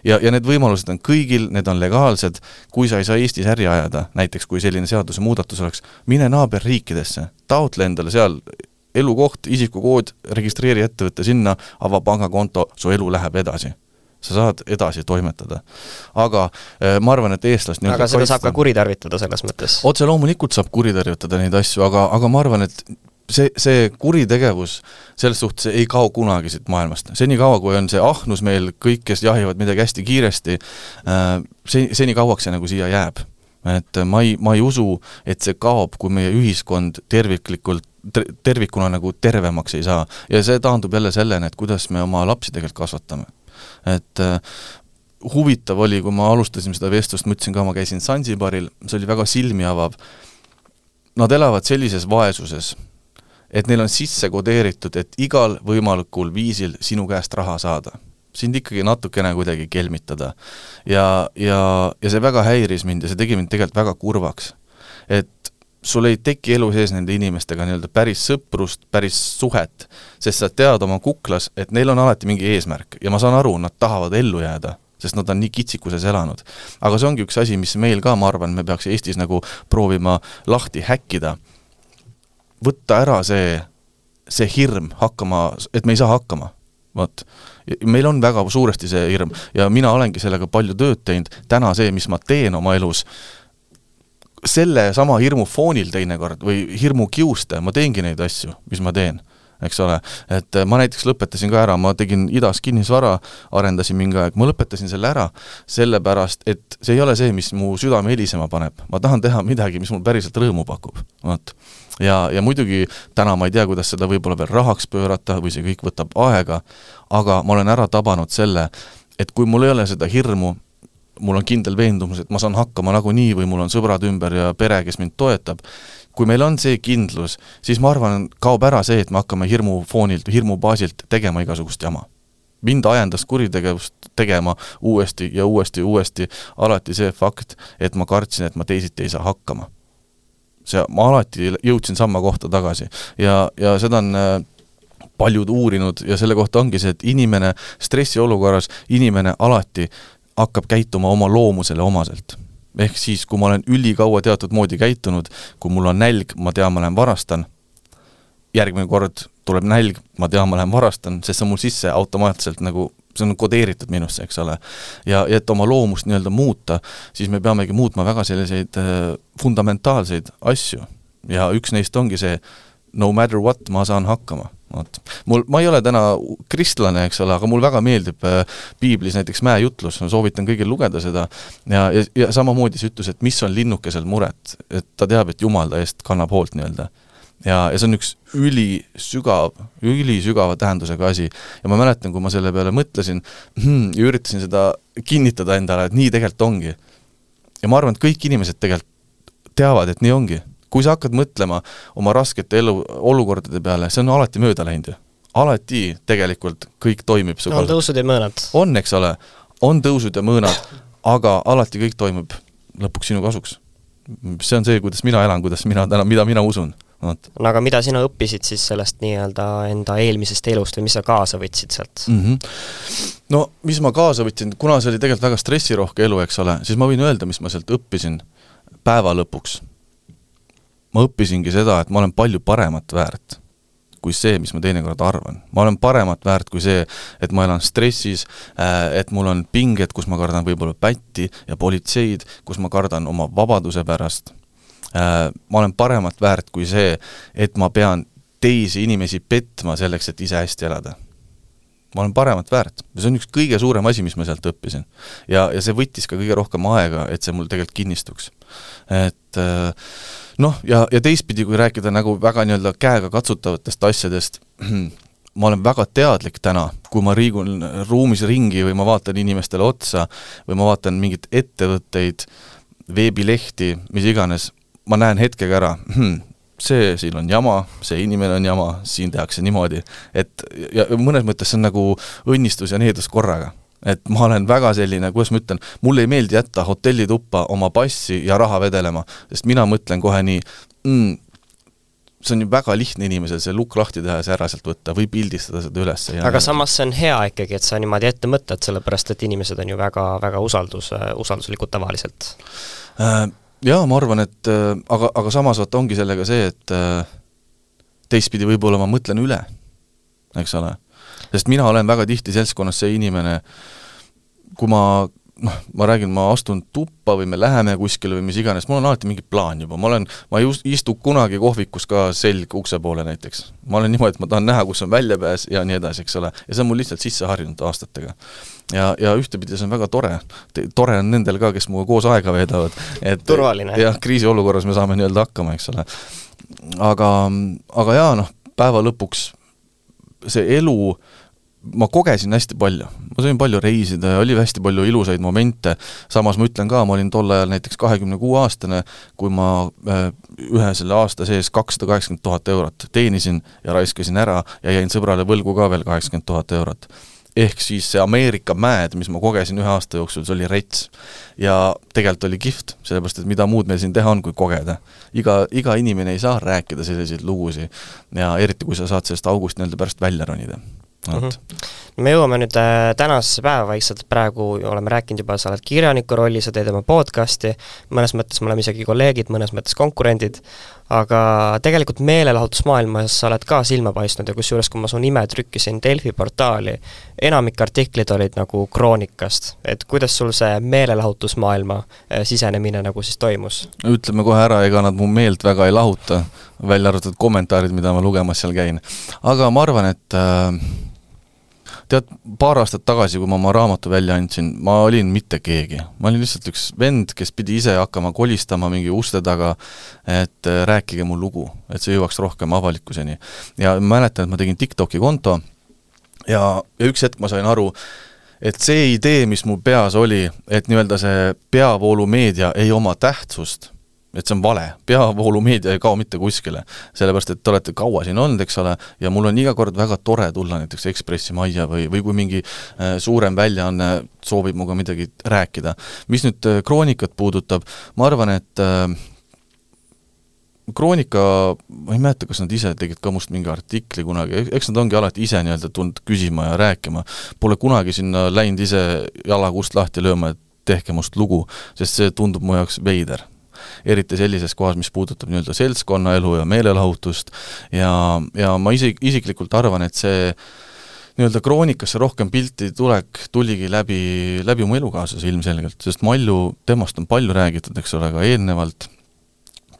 Ja need võimalused on kõigil, need on legaalsed. Kui sa ei saa Eestis äri ajada, näiteks kui selline seaduse muudatus oleks, mine naaberriikidesse, taotle endale seal elukoht, isikukood, registreeri ettevõtte sinna, ava pangakonto, su elu läheb edasi. Sa saad edasi toimetada. Aga ma arvan, et eestlast... Aga seda saab ka kuritarvitada selles mõttes? Otse loomulikult saab kuritarvitada neid asju, aga ma arvan, et see kuritegevus selles suhtes ei kao kunagi siit maailmast. Seni kaua, kui on see ahnus meil, kõik, kes jahivad midagi hästi kiiresti, seni kauaks see nagu siia jääb. Et ma ei usu, et see kaob, kui meie ühiskond tervikuna nagu tervemaks ei saa. Ja see taandub jälle sellene, et kuidas me oma lapsi tegelikult kasvatame. Et huvitav oli, kui ma alustasin seda vestlust, mõtlesin ka, ma käisin Zanzibaril, see oli väga silmi avav. Nad elavad sellises vaesuses, et neil on sisse kodeeritud, et igal võimalikul viisil sinu käest raha saada. sind ikkagi natukene kuidagi kelmitada. Ja see väga häiris mind ja see tegi mind tegelikult väga kurvaks. Et sul ei teki elu sees nende inimestega nii-öelda päris sõprust, päris suhet, sest sa tead oma kuklas, et neil on alati mingi eesmärk ja ma saan aru, nad tahavad ellu jääda, sest nad on nii kitsikuses elanud. Aga see ongi üks asi, mis meil ka, ma arvan, me peaks Eestis nagu proovima lahti häkkida. Võtta ära see hirm hakkama, et me ei saa hakkama. Võt. Meil on väga suuresti see hirm ja mina olengi sellega palju tööd teinud. Täna see, mis ma teen oma elus, selle sama hirmu foonil teinekord või hirmu kiuste, ma teengi neid asju, mis ma teen, eks ole. Et ma näiteks lõpetasin ka ära, ma tegin Idas kinnisvara, arendasin mingi aeg, ma lõpetasin selle ära, sellepärast, et see ei ole see, mis mu südame helisema paneb. Ma tahan teha midagi, mis mul päriselt rõõmu pakub. Võt. Ja muidugi täna ma ei tea, kuidas seda võib-olla veel rahaks pöörata või see kõik võtab aega, aga ma olen ära tabanud selle, et kui mul ei ole seda hirmu, mul on kindel veendumus, et ma saan hakkama nagunii või mul on sõbrad ümber ja pere, kes mind toetab. Kui meil on see kindlus, siis ma arvan, kaob ära see, et me hakkame hirmu foonilt, hirmu baasilt tegema igasugust jama. Mind ajendas kuritegevust tegema uuesti ja uuesti, alati see fakt, et ma kartsin, et ma teisiti ei saa hakkama. Ma alati jõudsin samma kohta tagasi ja seda on paljud uurinud ja selle kohta ongi see, et inimene stressiolukorras, inimene alati hakkab käituma oma loomusele omaselt. Ehk siis, kui ma olen ülikaua teatud moodi käitunud, kui mul on nälg, ma tean, ma lähen varastan, järgmine kord tuleb nälg, ma tean, ma lähen varastan, sest see on mul sisse automaatselt nagu, see on kodeeritud minusse, eks ole. Ja et oma loomust nii-öelda muuta, siis me peamegi muutma väga selliseid fundamentaalseid asju. Ja üks neist ongi see, no matter what, ma saan hakkama. Ma ei ole täna kristlane, eks ole, aga mul väga meeldib piiblis näiteks Mäejutlus, ma soovitan kõigil lugeda seda ja samamoodi see ütlus, et mis on linnukesel muret, et ta teab, et Jumal ta eest kannab hoolt nii-öelda. Ja see on üks ülisügava tähendusega asi ja ma mäletan, kui ma selle peale mõtlesin ja üritasin seda kinnitada endale, et nii tegelikult ongi. Ja ma arvan, et kõik inimesed tegelikult teavad, et nii ongi. Kui sa hakkad mõtlema oma raskete olukordade peale, see on alati mööda läinud. Alati tegelikult kõik toimib. On tõusud ja mõõnad. On, eks ole. On tõusud ja mõõnad, aga alati kõik toimib lõpuks sinu kasuks. See on see, kuidas mina elan, mida mina usun. No aga mida sina õppisid siis sellest nii-öelda enda eelmisest elust või mis sa kaasa võtsid sealt? No, mis ma kaasa võtsin, kuna see oli tegelikult väga stressirohke elu, eks ole, siis ma võin öelda, mis ma sealt õppisin päeva lõpuks. Ma õppisingi seda, et ma olen palju paremat väärt kui see, mis ma teinekord arvan. Ma olen paremat väärt kui see, et ma elan stressis, et mul on pinged, kus ma kardan võib-olla pätti ja politseid, kus ma kardan oma vabaduse pärast. Ma olen paremat väärt kui see, et ma pean teisi inimesi petma selleks, et ise hästi elada. Ma olen paremat väärt. See on üks kõige suurem asi, mis ma sealt õppisin. Ja see võttis ka kõige rohkem aega, et see mul tegelikult kinnistuks. Et ja teistpidi, kui rääkida nagu väga nii-öelda käega katsutavatest asjadest, ma olen väga teadlik täna, kui ma riigun ruumis ringi või ma vaatan inimestele otsa või ma vaatan mingit ettevõtteid, veebilehti, mis iganes, ma näen hetkega ära, see siin on jama, see inimene on jama, siin tehakse niimoodi, et ja mõnes mõttes see on nagu õnnistus ja needus korraga. Et ma olen väga selline, kuidas ma ütlen, mulle ei meeldi jätta hotellituppa oma passi ja raha vedelema, sest mina mõtlen kohe nii, see on ju väga lihtne inimesel see lukk lahti teha ja see ära sealt võtta või pildistada seda üles. Aga samas see on hea ikkagi, et sa niimoodi ette mõtled, sellepärast et inimesed on ju väga usalduslikud tavaliselt. Jaa, ma arvan, et aga samas ongi sellega see, et teistpidi võib-olla ma mõtlen üle, eks ole. Sest mina olen väga tihti seltskonnas see inimene, kui ma räägin, ma astun tuppa või me läheme kuskile või mis iganes, mul on alati mingi plaan juba, ma ei istu kunagi kohvikus ka selg ukse poole näiteks. Ma olen niimoodi, et ma tahan näha, kus on väljapääs ja nii edasi, eks ole. Ja see on mul lihtsalt sisse harjunud aastatega. Ja ühtepidi see on väga tore. Tore on nendel ka, kes muga koos aega veedavad. Turvaline. Ja kriisiolukorras me saame nii-öelda hakkama, eks ole. Aga jaa, päeva lõpuks see elu, ma kogesin hästi palju. Ma sain palju reisida ja oli hästi palju ilusaid momente. Samas ma ütlen ka, ma olin tol ajal näiteks 26-aastane, kui ma ühe selle aasta sees 280 000 eurot teenisin ja raiskasin ära ja jäin sõbrale võlgu ka veel 80 000 eurot. ehk siis see Ameerika mäed, mis ma kogesin 1 aasta jooksul, see oli rets. Ja tegelikult oli kihvt, sellepärast, et mida muud meil siin teha on, kui kogeda. Iga inimene ei saa rääkida selliseid lugusi ja eriti, kui sa saad sellest august nii-öelda pärast välja ronida. Me jõuame nüüd tänasesse päeva vaikselt, praegu oleme rääkinud juba, sa oled kirjaniku rolli, sa teed oma podcasti, mõnes mõttes me oleme isegi kolleegid, mõnes mõttes konkurendid, aga tegelikult meelelahutusmaailmas sa oled ka silma paistnud ja kusjuures, kui ma su nime trükkisin Delfi portaali, enamik artiklid olid nagu kroonikast, et kuidas sul see meelelahutusmaailma sisenemine nagu siis toimus? Ütleme kohe ära, ega nad mu meelt väga ei lahuta, välja arvatud kommentaarid, mida ma lugemas seal käin. Aga ma arvan, et tead, paar aastat tagasi, kui ma oma raamatu välja andsin, ma olin mitte keegi. Ma olin lihtsalt üks vend, kes pidi ise hakkama kolistama mingi uste taga, et rääkige mu lugu, et see jõuaks rohkem avalikkuseni. Ja mäletan, et ma tegin TikToki konto ja üks hetk ma sain aru, et see idee, mis mu peas oli, et nii-öelda see peavoolumeedia ei oma tähtsust, et see on vale, peavoolumeedia ei kao mitte kuskile, sellepärast, et te olete kaua siin olnud, eks ole, ja mul on iga kord väga tore tulla näiteks Ekspressi majja või kui mingi suurem väljaanne soovib muga midagi rääkida. Mis nüüd kroonikat puudutab, ma arvan, et kroonika, ma ei mäleta, kas nad ise tegid ka must mingi artikli kunagi, eks nad ongi alati ise nii-öelda tulnud küsima ja rääkima, pole kunagi sinna läinud ise jalakust lahti lööma, et tehke must lugu, sest see tundub mu jaoks veider. Eriti sellises kohas, mis puudutab nii-öelda seltskonnaelu ja meelelahutust ja ma isiklikult arvan, et see nii-öelda kroonikasse rohkem pilti tuligi läbi mu elukaaslase ilmselgelt, sest Malju, temast on palju räägitud, eks ole, ka eelnevalt,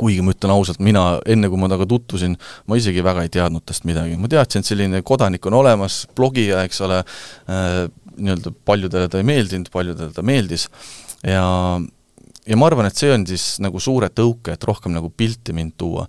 kuigi ma ütlen ausalt, mina enne kui ma taga tutvusin, ma isegi väga ei teadnud tast midagi. Ma teadsin, et selline kodanik on olemas, blogija, eks ole, nii-öelda paljudele ta ei meeldinud, paljudele ta meeldis ja ma arvan, et see on siis nagu suure tõuke, et rohkem nagu pilti mind tuua.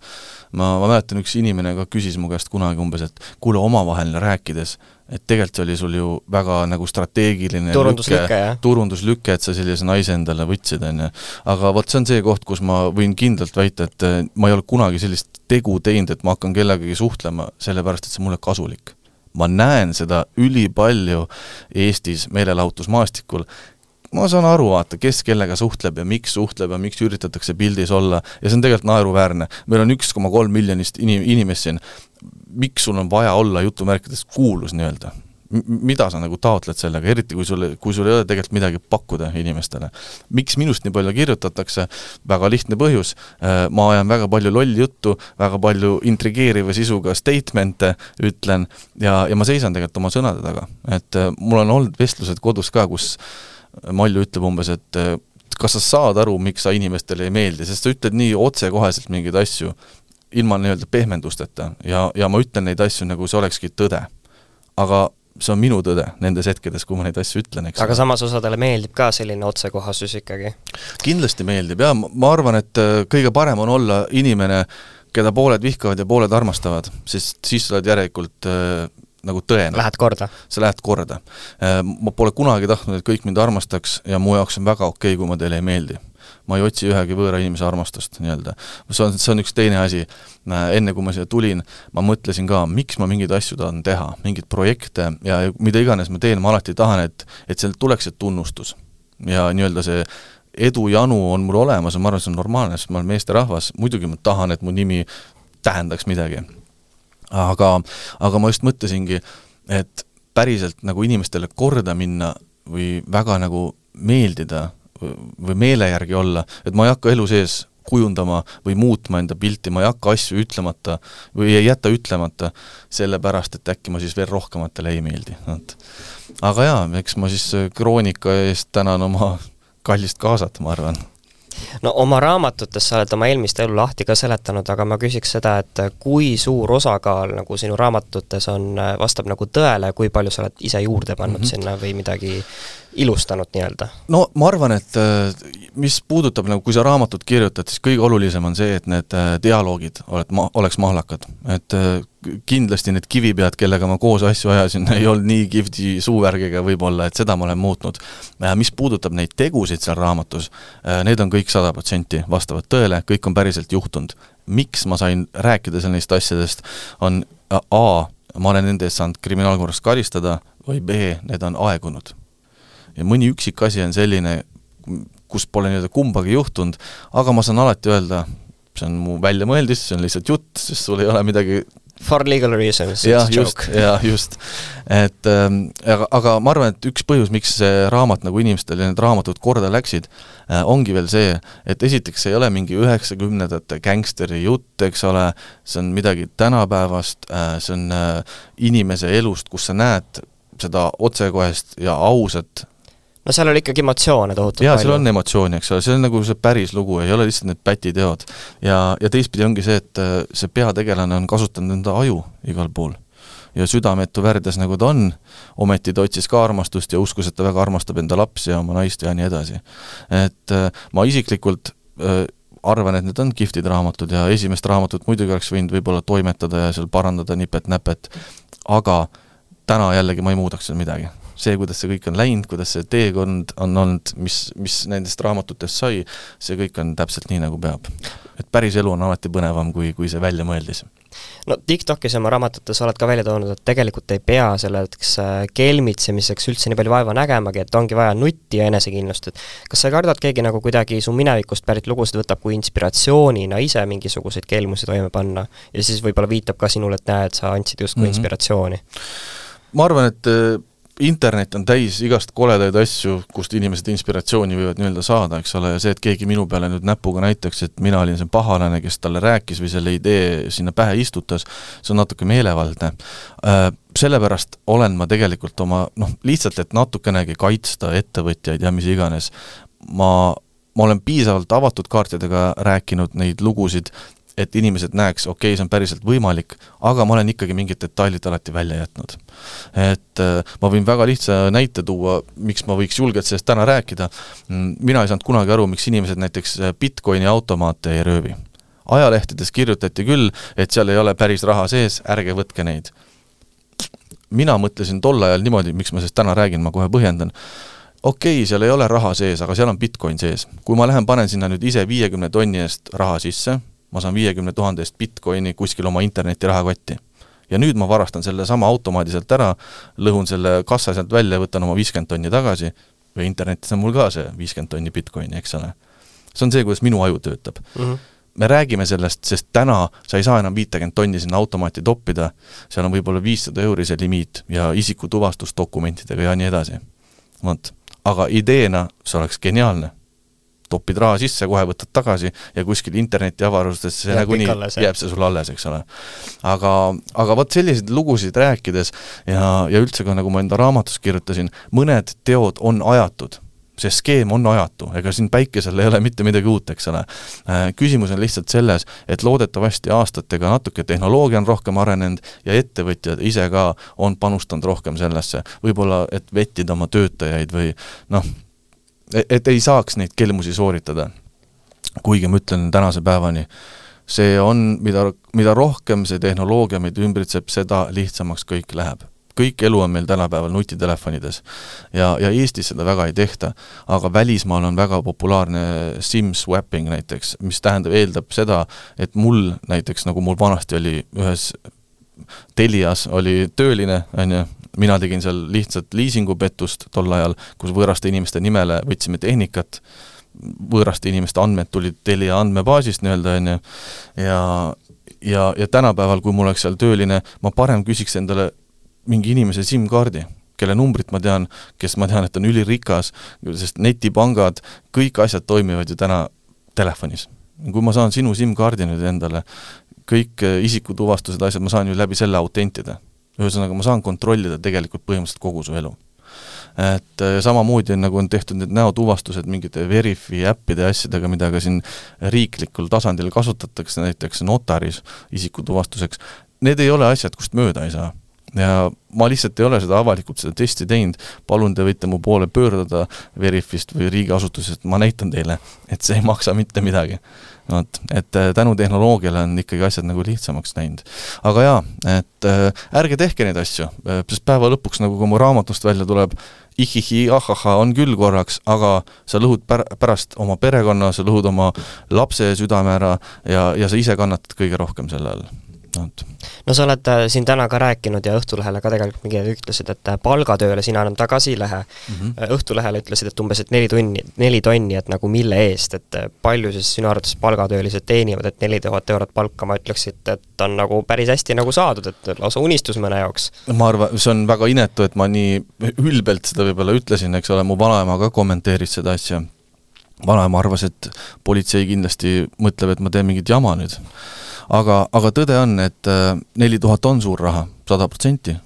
Ma mäletan, üks inimene ka küsis mu käest kunagi umbes, et kuule omavaheline rääkides, et tegelikult oli sul ju väga nagu strateegiline turunduslüke, et sa sellise naise endale võtsid, on. Aga vot see on see koht, kus ma võin kindlalt väita, et ma ei ole kunagi sellist tegu teinud, et ma hakkan kellegagi suhtlema, sellepärast, et see mulle kasulik. Ma näen seda ülipalju Eestis meelelahutusmaastikul, ma saan aru, vaata, kes kellega suhtleb ja miks üritatakse pildis olla ja see on tegelikult naeruväärne. Meil on 1,3 miljonist inimest siin. Miks sul on vaja olla jutumärkides kuulus nii-öelda? Mida sa nagu taotled sellega, eriti kui sul ei ole tegelikult midagi pakkuda inimestele? Miks minust nii palju kirjutatakse? Väga lihtne põhjus. Ma ajan väga palju lolli juttu, väga palju intrigeeriva sisuga statemente ütlen ja ma seisan tegelikult oma sõnade taga. Et mul on olnud vestlused kodus ka, kus Malju ütleb umbes, et kas sa saad aru, miks sa inimestele ei meeldi, sest sa ütled nii otsekoheselt mingeid asju, ilma nii-öelda pehmendusteta ja ma ütlen neid asju, nagu see olekski tõde. Aga see on minu tõde nendes hetkedes, kui ma neid asju ütlen. Aga samas osadele meeldib ka selline otsekohasus ikkagi? Kindlasti meeldib, ja ma arvan, et kõige parem on olla inimene, keda pooled vihkavad ja pooled armastavad, sest siis sa oled järelikult nagu tõene. Lähed korda. Sa lähed korda. Ma pole kunagi tahtnud, et kõik mind armastaks ja mu jaoks on väga okei, kui ma teile ei meeldi. Ma ei otsi ühegi võõra inimese armastust nii-öelda. See on üks teine asi. Enne kui ma siia tulin, ma mõtlesin ka, miks ma mingeid asju tahan teha, mingid projekte ja mida iganes ma teen, ma alati tahan, et seal tuleks see tunnustus. Ja nii-öelda see edujanu on mul olemas ja ma arvan, see on normaalne, sest ma olen meeste rahvas. Muidugi ma tahan, et mu nimi tähendaks midagi. Aga ma just mõtlesingi, et päriselt nagu inimestele korda minna või väga nagu meeldida või meele järgi olla, et ma ei hakka elu sees kujundama või muutma enda pilti, ma ei hakka asju ütlemata või ei jäta ütlemata sellepärast, et äkki ma siis veel rohkematele ei meeldi. Aga jaa, eks ma siis kroonika eest tänan oma kallist kaasat, ma arvan. No oma raamatutes sa oled oma eelmist elu lahti ka seletanud, aga ma küsiks seda, et kui suur osakaal nagu sinu raamatutes vastab nagu tõele, kui palju sa oled ise juurde pannud sinna või midagi ilustanud nii-öelda? No ma arvan, et mis puudutab, nagu kui sa raamatut kirjutad, siis kõige olulisem on see, et need dialoogid oleks mahlakad. Et kindlasti need kivipead, kellega ma koos asju ajasin, ei olnud nii kihvti suuvärgiga võib-olla, et seda ma olen muutnud. Mis puudutab neid tegusid seal raamatus, need on kõik 100% vastavad tõele, kõik on päriselt juhtunud. Miks ma sain rääkida neist asjadest, on ma olen nende eest saanud kriminaalkorras karistada või B, need on aegunud. Ja mõni üksik asi on selline, kus pole nii-öelda kumbagi juhtunud, aga ma saan alati öelda, see on mu väljamõeldis, see on lihtsalt jutt, sest sul ei ole midagi for legal reasons, just. Et, aga ma arvan, et üks põhjus, miks see raamat nagu inimestel ja need raamatud korda läksid, ongi veel see, et esiteks ei ole mingi 90-ndate gängsteri jutt, eks ole, see on midagi tänapäevast, see on inimese elust, kus sa näed seda otsekohest ja ausat. No seal oli ikkagi emotsioone tohutult palju. Seal on emotsiooni, eks ole, see on nagu see päris lugu, ei ole lihtsalt need pätiteod. Ja teistpidi ongi see, et see peategelane on kasutanud enda aju igal pool. Ja südametu värdes nagu ta on, ometi ta otsis ka armastust ja uskus, et ta väga armastab enda lapsi ja oma naist ja nii edasi. Et ma isiklikult arvan, et need on kihvtid raamatud ja esimest raamatut muidugi oleks võinud võib-olla toimetada ja seal parandada nipet-näpet, aga täna jällegi ma ei muudaks seal midagi. See, kuidas see kõik on läinud, kuidas see teekond on olnud, mis nendest raamatutest sai, see kõik on täpselt nii, nagu peab. Et päris elu on alati põnevam, kui see välja mõeldis. No TikTokis ja oma raamatutes oled ka välja toonud, et tegelikult ei pea selleks kelmitsemiseks üldse nii palju vaeva nägemagi, et ongi vaja nutti ja enesekindlust. Et kas sa kardad keegi nagu kuidagi su minevikust pärit lugusid võtab kui inspiratsioonina ise mingisuguseid kelmusi toime panna ja siis võib-olla viitab ka sinule, et näed, sa andsid just kui inspiratsiooni? Ma arvan, et internet on täis igast koledaid asju, kust inimesed inspiratsiooni võivad nii-öelda saada, eks ole, ja see, et keegi minu peale nüüd näpuga näitaks, et mina olin see pahalane, kes talle rääkis või selle idee sinna pähe istutas, see on natuke meelevaldne. Sellepärast olen ma tegelikult oma, lihtsalt, et natukenegi kaitsta ettevõtjaid ja mis iganes. Ma olen piisavalt avatud kaartidega rääkinud neid lugusid, et inimesed näeks, okei, see on päriselt võimalik, aga ma olen ikkagi mingid detailid alati välja jätnud. Et ma võin väga lihtsa näite tuua, miks ma võiks julgelt sellest täna rääkida. Mina ei saanud kunagi aru, miks inimesed näiteks Bitcoini automaate ei röövi. Ajalehtedes kirjutati küll, et seal ei ole päris raha sees, ärge võtke neid. Mina mõtlesin tol ajal niimoodi, miks ma sellest täna räägin, ma kohe põhjendan. Okei, seal ei ole raha sees, aga seal on Bitcoin sees. Kui ma lähen panen sinna nüüd ise 50 tonni eest raha sisse, ma saan 50 000 eest Bitcoini kuskil oma interneti rahakotti. Ja nüüd ma varastan selle sama automaadi sealt ära, lõhun selle kassa sealt välja, võtan oma 50 tonni tagasi, või internetis on mul ka see 50 tonni Bitcoini, eks ole. See on see, kuidas minu aju töötab. Me räägime sellest, sest täna sa ei saa enam 50 tonni sinna automaati toppida, seal on võib-olla 500 € see limiit ja isikutuvastusdokumentidega ja nii edasi. Aga ideena see oleks geniaalne. Topid raha sisse, kohe võtad tagasi ja kuskil interneti avarustes see nagu nii jääb see sul alles, eks ole. Aga võt selliseid lugusid rääkides ja üldse ka nagu ma enda raamatus kirjutasin, mõned teod on ajatud. See skeem on ajatu, ega siin päikesel ei ole mitte midagi uut, eks ole. Küsimus on lihtsalt selles, et loodetavasti aastatega natuke tehnoloogia on rohkem arenenud ja ettevõtjad ise ka on panustanud rohkem sellesse. Võib-olla, et vettida oma töötajaid või et ei saaks neid kelmusi sooritada. Kuigi ma ütlen tänase päevani, see on, mida rohkem see tehnoloogia meid ümbritseb, seda lihtsamaks kõik läheb. Kõik elu on meil tänapäeval nutitelefonides ja Eestis seda väga ei tehta, aga välismaal on väga populaarne SIM-swapping näiteks, mis eeldab seda, et mul näiteks, nagu mul vanasti oli ühes Telias oli tööline, mina tegin seal lihtsalt liisingupettust tol ajal, kus võõraste inimeste nimele võtsime tehnikat, võõraste inimeste andmed tulid Telia andmebaasist nii-öelda, ja tänapäeval, kui mul oleks seal tööline, ma parem küsiks endale mingi inimese SIM-kaardi, kelle numbrit ma tean, kes ma tean, et on ülirikas, sest netipangad, kõik asjad toimivad ju täna telefonis. Kui ma saan sinu SIM-kaardi nüüd endale, kõik isikutuvastused asjad, ma saan ju läbi selle autentida. Ühesõnaga, ma saan kontrollida tegelikult põhimõtteliselt kogu su elu. Et samamoodi nagu on tehtud need näotuvastused mingite Verifi äppide asjadega, mida ka siin riiklikul tasandil kasutatakse, näiteks notaris isikutuvastuseks. Need ei ole asjad, kust mööda ei saa. Ja ma lihtsalt ei ole seda avalikult seda testi teinud, palun te võite mu poole pöördada Verifist või riigiasutusest, ma näitan teile, et see ei maksa mitte midagi. Et tänu tehnoloogiale on ikkagi asjad nagu lihtsamaks näinud. Aga jaa, et ärge tehke neid asju, sest päeva lõpuks, nagu kui mu raamatust välja tuleb, ihihi, ahaha on küll korraks, aga sa lõhud pärast oma perekonna, sa lõhud oma lapse südame ära ja sa ise kannatad kõige rohkem selle all. No sa oled siin täna ka rääkinud ja Õhtulehele ka tegelikult mingi ütlesid, et palgatööle sina enam tagasi ei lähe. Õhtulehele ütlesid, et umbes et 4 tonni, et nagu mille eest, et palju siis sinu arvates palgatöölised teenivad, et 4000 eurot palka, ma ütleksid, et on nagu päris hästi nagu saadud, et lausa unistus mõne jaoks. Ma arvan, see on väga inetu, et ma nii ülbelt seda võib-olla ütlesin, eks ole, mu vanaema ka kommenteeris seda asja. Vanaema arvas, et politsei kindlasti mõtleb, et ma teen mingit jama nüüd. Aga tõde on, et 4000 on suur raha, 100%.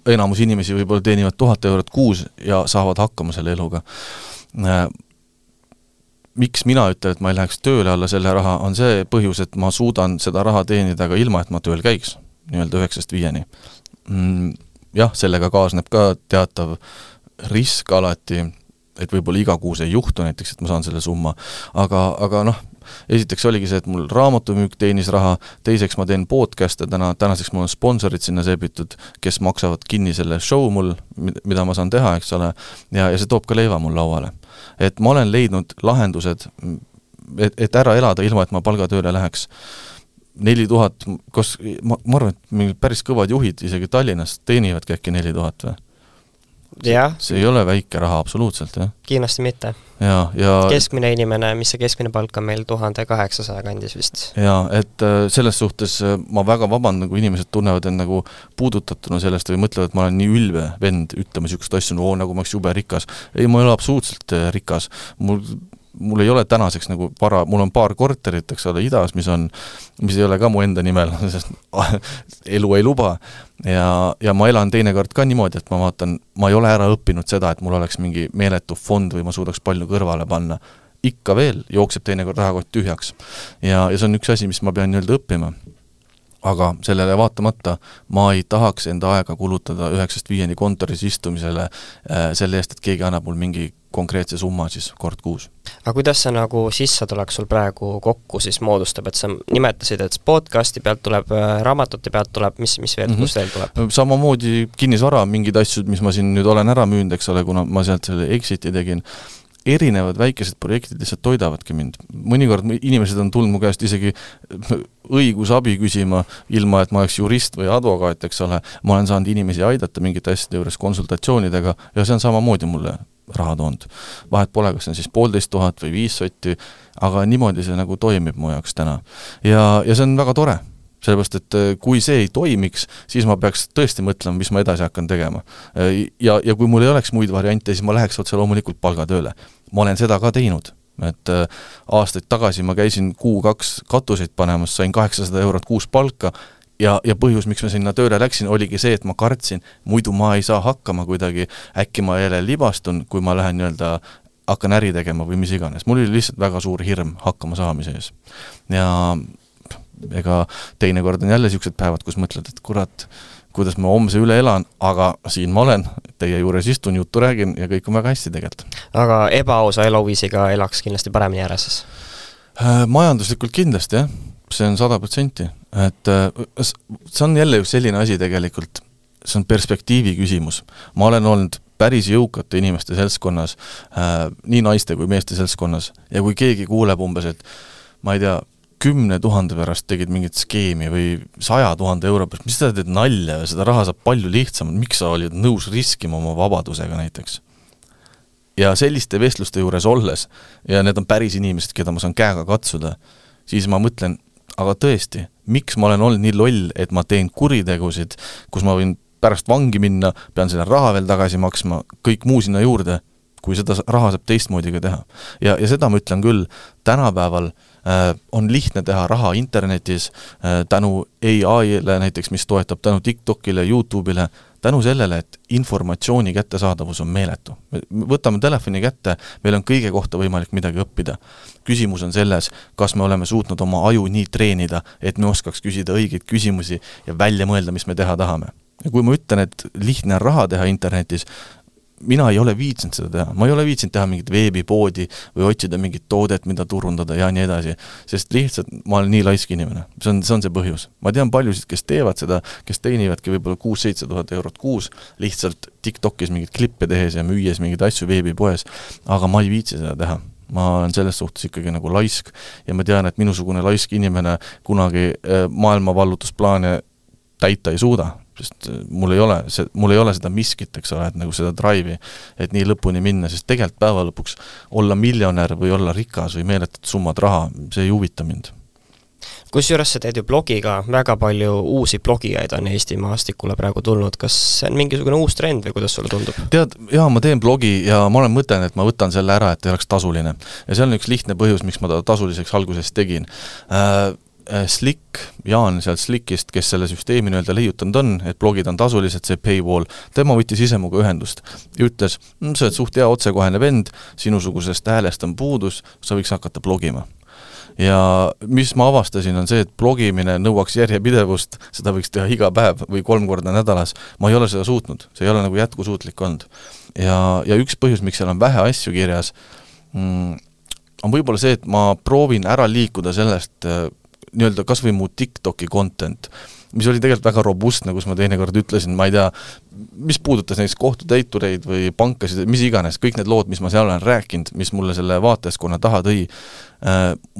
Enamus inimesi võib-olla teenivad 1000 eurot kuus ja saavad hakkama selle eluga. Miks mina ütlen, et ma ei läheks tööle alla selle raha, on see põhjus, et ma suudan seda raha teenida ka ilma, et ma tööl käiks, nii-öelda 9-5. Jah, sellega kaasneb ka teatav risk alati, et võib-olla iga kuus ei juhtu näiteks, et ma saan selle summa, aga noh, esiteks oligi see, et mul raamatumüük teenis raha, teiseks ma teen podcast'e tänaseks mul on sponsorid sinna seebitud, kes maksavad kinni selle show mul, mida ma saan teha, eks ole, ja see toob ka leiva mul lauale. Et ma olen leidnud lahendused, et ära elada ilma, et ma palgatööle läheks. 4000, ma arvan, et päris kõvad juhid isegi Tallinnas teenivadki äkki 4000 või? Ja. See ei ole väike raha absoluutselt, jah? Kindlasti mitte. Ja keskmine inimene, mis see keskmine palk on meil 1800 kandis vist. Ja, et selles suhtes ma väga vabandan, kui inimesed tunnevad end nagu puudutatuna sellest või mõtlevad, et ma olen nii ülbe vend ütlema sihukest asju, nagu ma oleks jube rikas. Ei, ma ei ole absoluutselt rikas. Mul ei ole tänaseks nagu mul on paar korterit, eks ole, idas, mis ei ole ka mu enda nimel, sest elu ei luba. Ja ma elan teinekord ka niimoodi, et ma vaatan, ma ei ole ära õppinud seda, et mul oleks mingi meeletu fond või ma suudaks palju kõrvale panna. Ikka veel jookseb teinekord rahakott tühjaks. Ja see on üks asi, mis ma pean nii-öelda õppima. Aga sellele vaatamata ma ei tahaks enda aega kulutada 9-5 kontoris istumisele selle eest, et keegi annab mul mingi konkreetse summa siis kord kuus. Aga kuidas see nagu sissetulek sul praegu kokku siis moodustab, et sa nimetasid, et podcasti pealt tuleb, raamatute pealt tuleb, mis veel, kus veel tuleb? Samamoodi kinnisvara mingid asjad, mis ma siin nüüd olen ära müünud, eks ole, kuna ma sealt selle exiti tegin, erinevad väikesed projektid lihtsalt toidavadki mind. Mõnikord inimesed on tulnud mu käest isegi õigusabi küsima, ilma et ma oleks jurist või advokaat, eks ole. Ma olen saanud inimesi aidata mingite asjade juures konsultatsioonidega ja see on samamoodi mulle raha toonud. Vahet pole, kas see on siis 1500 või 5 sotti, aga niimoodi see nagu toimib mu jaoks täna. Ja see on väga tore. Sellepärast, et kui see ei toimiks, siis ma peaks tõesti mõtlema, mis ma edasi hakkan tegema. Ja kui mul ei oleks muid variante, siis ma läheks otse loomulikult palgatööle. Ma olen seda ka teinud. Et aastaid tagasi ma käisin 2 katuseid panemas, sain 800 eurot kuus palka ja põhjus, miks ma sinna tööle läksin, oligi see, et ma kartsin, muidu ma ei saa hakkama kuidagi, äkki ma jälle libastun, kui ma lähen nii-öelda hakkan äri tegema või mis iganes. Mul oli lihtsalt väga suur hirm hakkama saamise ees. Ja ega teinekord on jälle siuksed päevad, kus mõtled, et kurat, kuidas ma homse üle elan, aga siin ma olen, teie juures istun, juttu räägin ja kõik on väga hästi tegelikult. Aga ebaausa eluviisiga elaks kindlasti paremini ära siis? Majanduslikult kindlasti, jah. See on 100%. Et see on jälle just selline asi tegelikult, see on perspektiivi küsimus. Ma olen olnud päris jõukate inimeste seltskonnas, nii naiste kui meeste seltskonnas ja kui keegi kuuleb umbes, et ma ei tea, 10 000 pärast tegid mingit skeemi või 100 000 euro pärast, mis seda teed nalja ja seda raha saab palju lihtsamalt, miks sa olid nõus riskima oma vabadusega näiteks. Ja selliste vestluste juures olles, ja need on päris inimesed, keda ma saan käega katsuda, siis ma mõtlen, aga tõesti, miks ma olen olnud nii loll, et ma teen kuritegusid, kus ma võin pärast vangi minna, pean selle raha veel tagasi maksma, kõik muu sinna juurde, kui seda raha saab teistmoodi ka teha. Ja seda ma ütlen küll, tänapäeval on lihtne teha raha internetis tänu AI-le näiteks, mis toetab tänu TikTokile, YouTube'ile, tänu sellele, et informatsiooni kättesaadavus on meeletu. Võtame telefoni kätte, meil on kõige kohta võimalik midagi õppida. Küsimus on selles, kas me oleme suutnud oma aju nii treenida, et me oskaks küsida õigeid küsimusi ja välja mõelda, mis me teha tahame. Ja kui ma ütlen, et lihtne raha teha internetis, mina ei ole viitsinud seda teha. Ma ei ole viitsinud teha mingit veebipoodi või otsida mingit toodet, mida turundada ja nii edasi. Sest lihtsalt ma olen nii laisk inimene. See on see põhjus. Ma tean paljusid, kes teevad seda, kes teenivadki võib-olla 6-7 000 eurot kuus, lihtsalt TikTokis mingit klippe tehes ja müües mingid asju veebipoes, aga ma ei viitsi seda teha. ma olen selles suhtes ikkagi nagu laisk ja ma tean, et minusugune laisk inimene kunagi maailma vallutusplaane täita ei suuda, sest mul ei ole seda miskit, eks ole, et nagu seda drive'i, et nii lõpuni minna, sest tegelikult päeva lõpuks olla miljonär või olla rikas või meeletut summad raha, see ei huvita mind. Kusjuures sa teed ju blogiga, väga palju uusi blogijaid on Eesti maastikule praegu tulnud, kas see on mingisugune uus trend või kuidas sulle tundub? Tead, ma teen blogi ja ma olen mõtelnud, et ma võtan selle ära, et ei oleks tasuline. Ja see on üks lihtne põhjus, miks ma ta tasuliseks alguses tegin. Slick, Jaan sealt Slickist, kes selle süsteemi leiutanud on, et blogid on tasulised, see paywall, tema võttis ise muga ühendust ja ütles, sa oled suht hea otsekohene vend, sinusugusest häälest on puudus, sa võiks hakata blogima. Ja mis ma avastasin on see, et blogimine nõuaks järjepidevust, seda võiks teha iga päev või 3 korda nädalas. Ma ei ole seda suutnud, see ei ole nagu jätkusuutlik olnud. Ja üks põhjus, miks seal on vähe asju kirjas, on võib-olla see, et ma proovin ära liikuda sellest nii-öelda kas või mu TikToki content, mis oli tegelikult väga robustne, kus ma teinekord ütlesin, ma ei tea, mis puudutas näiteks kohtutäitureid või pankasid, mis iganes, kõik need lood, mis ma seal olen rääkinud, mis mulle selle vaatajaskonna taha tõi,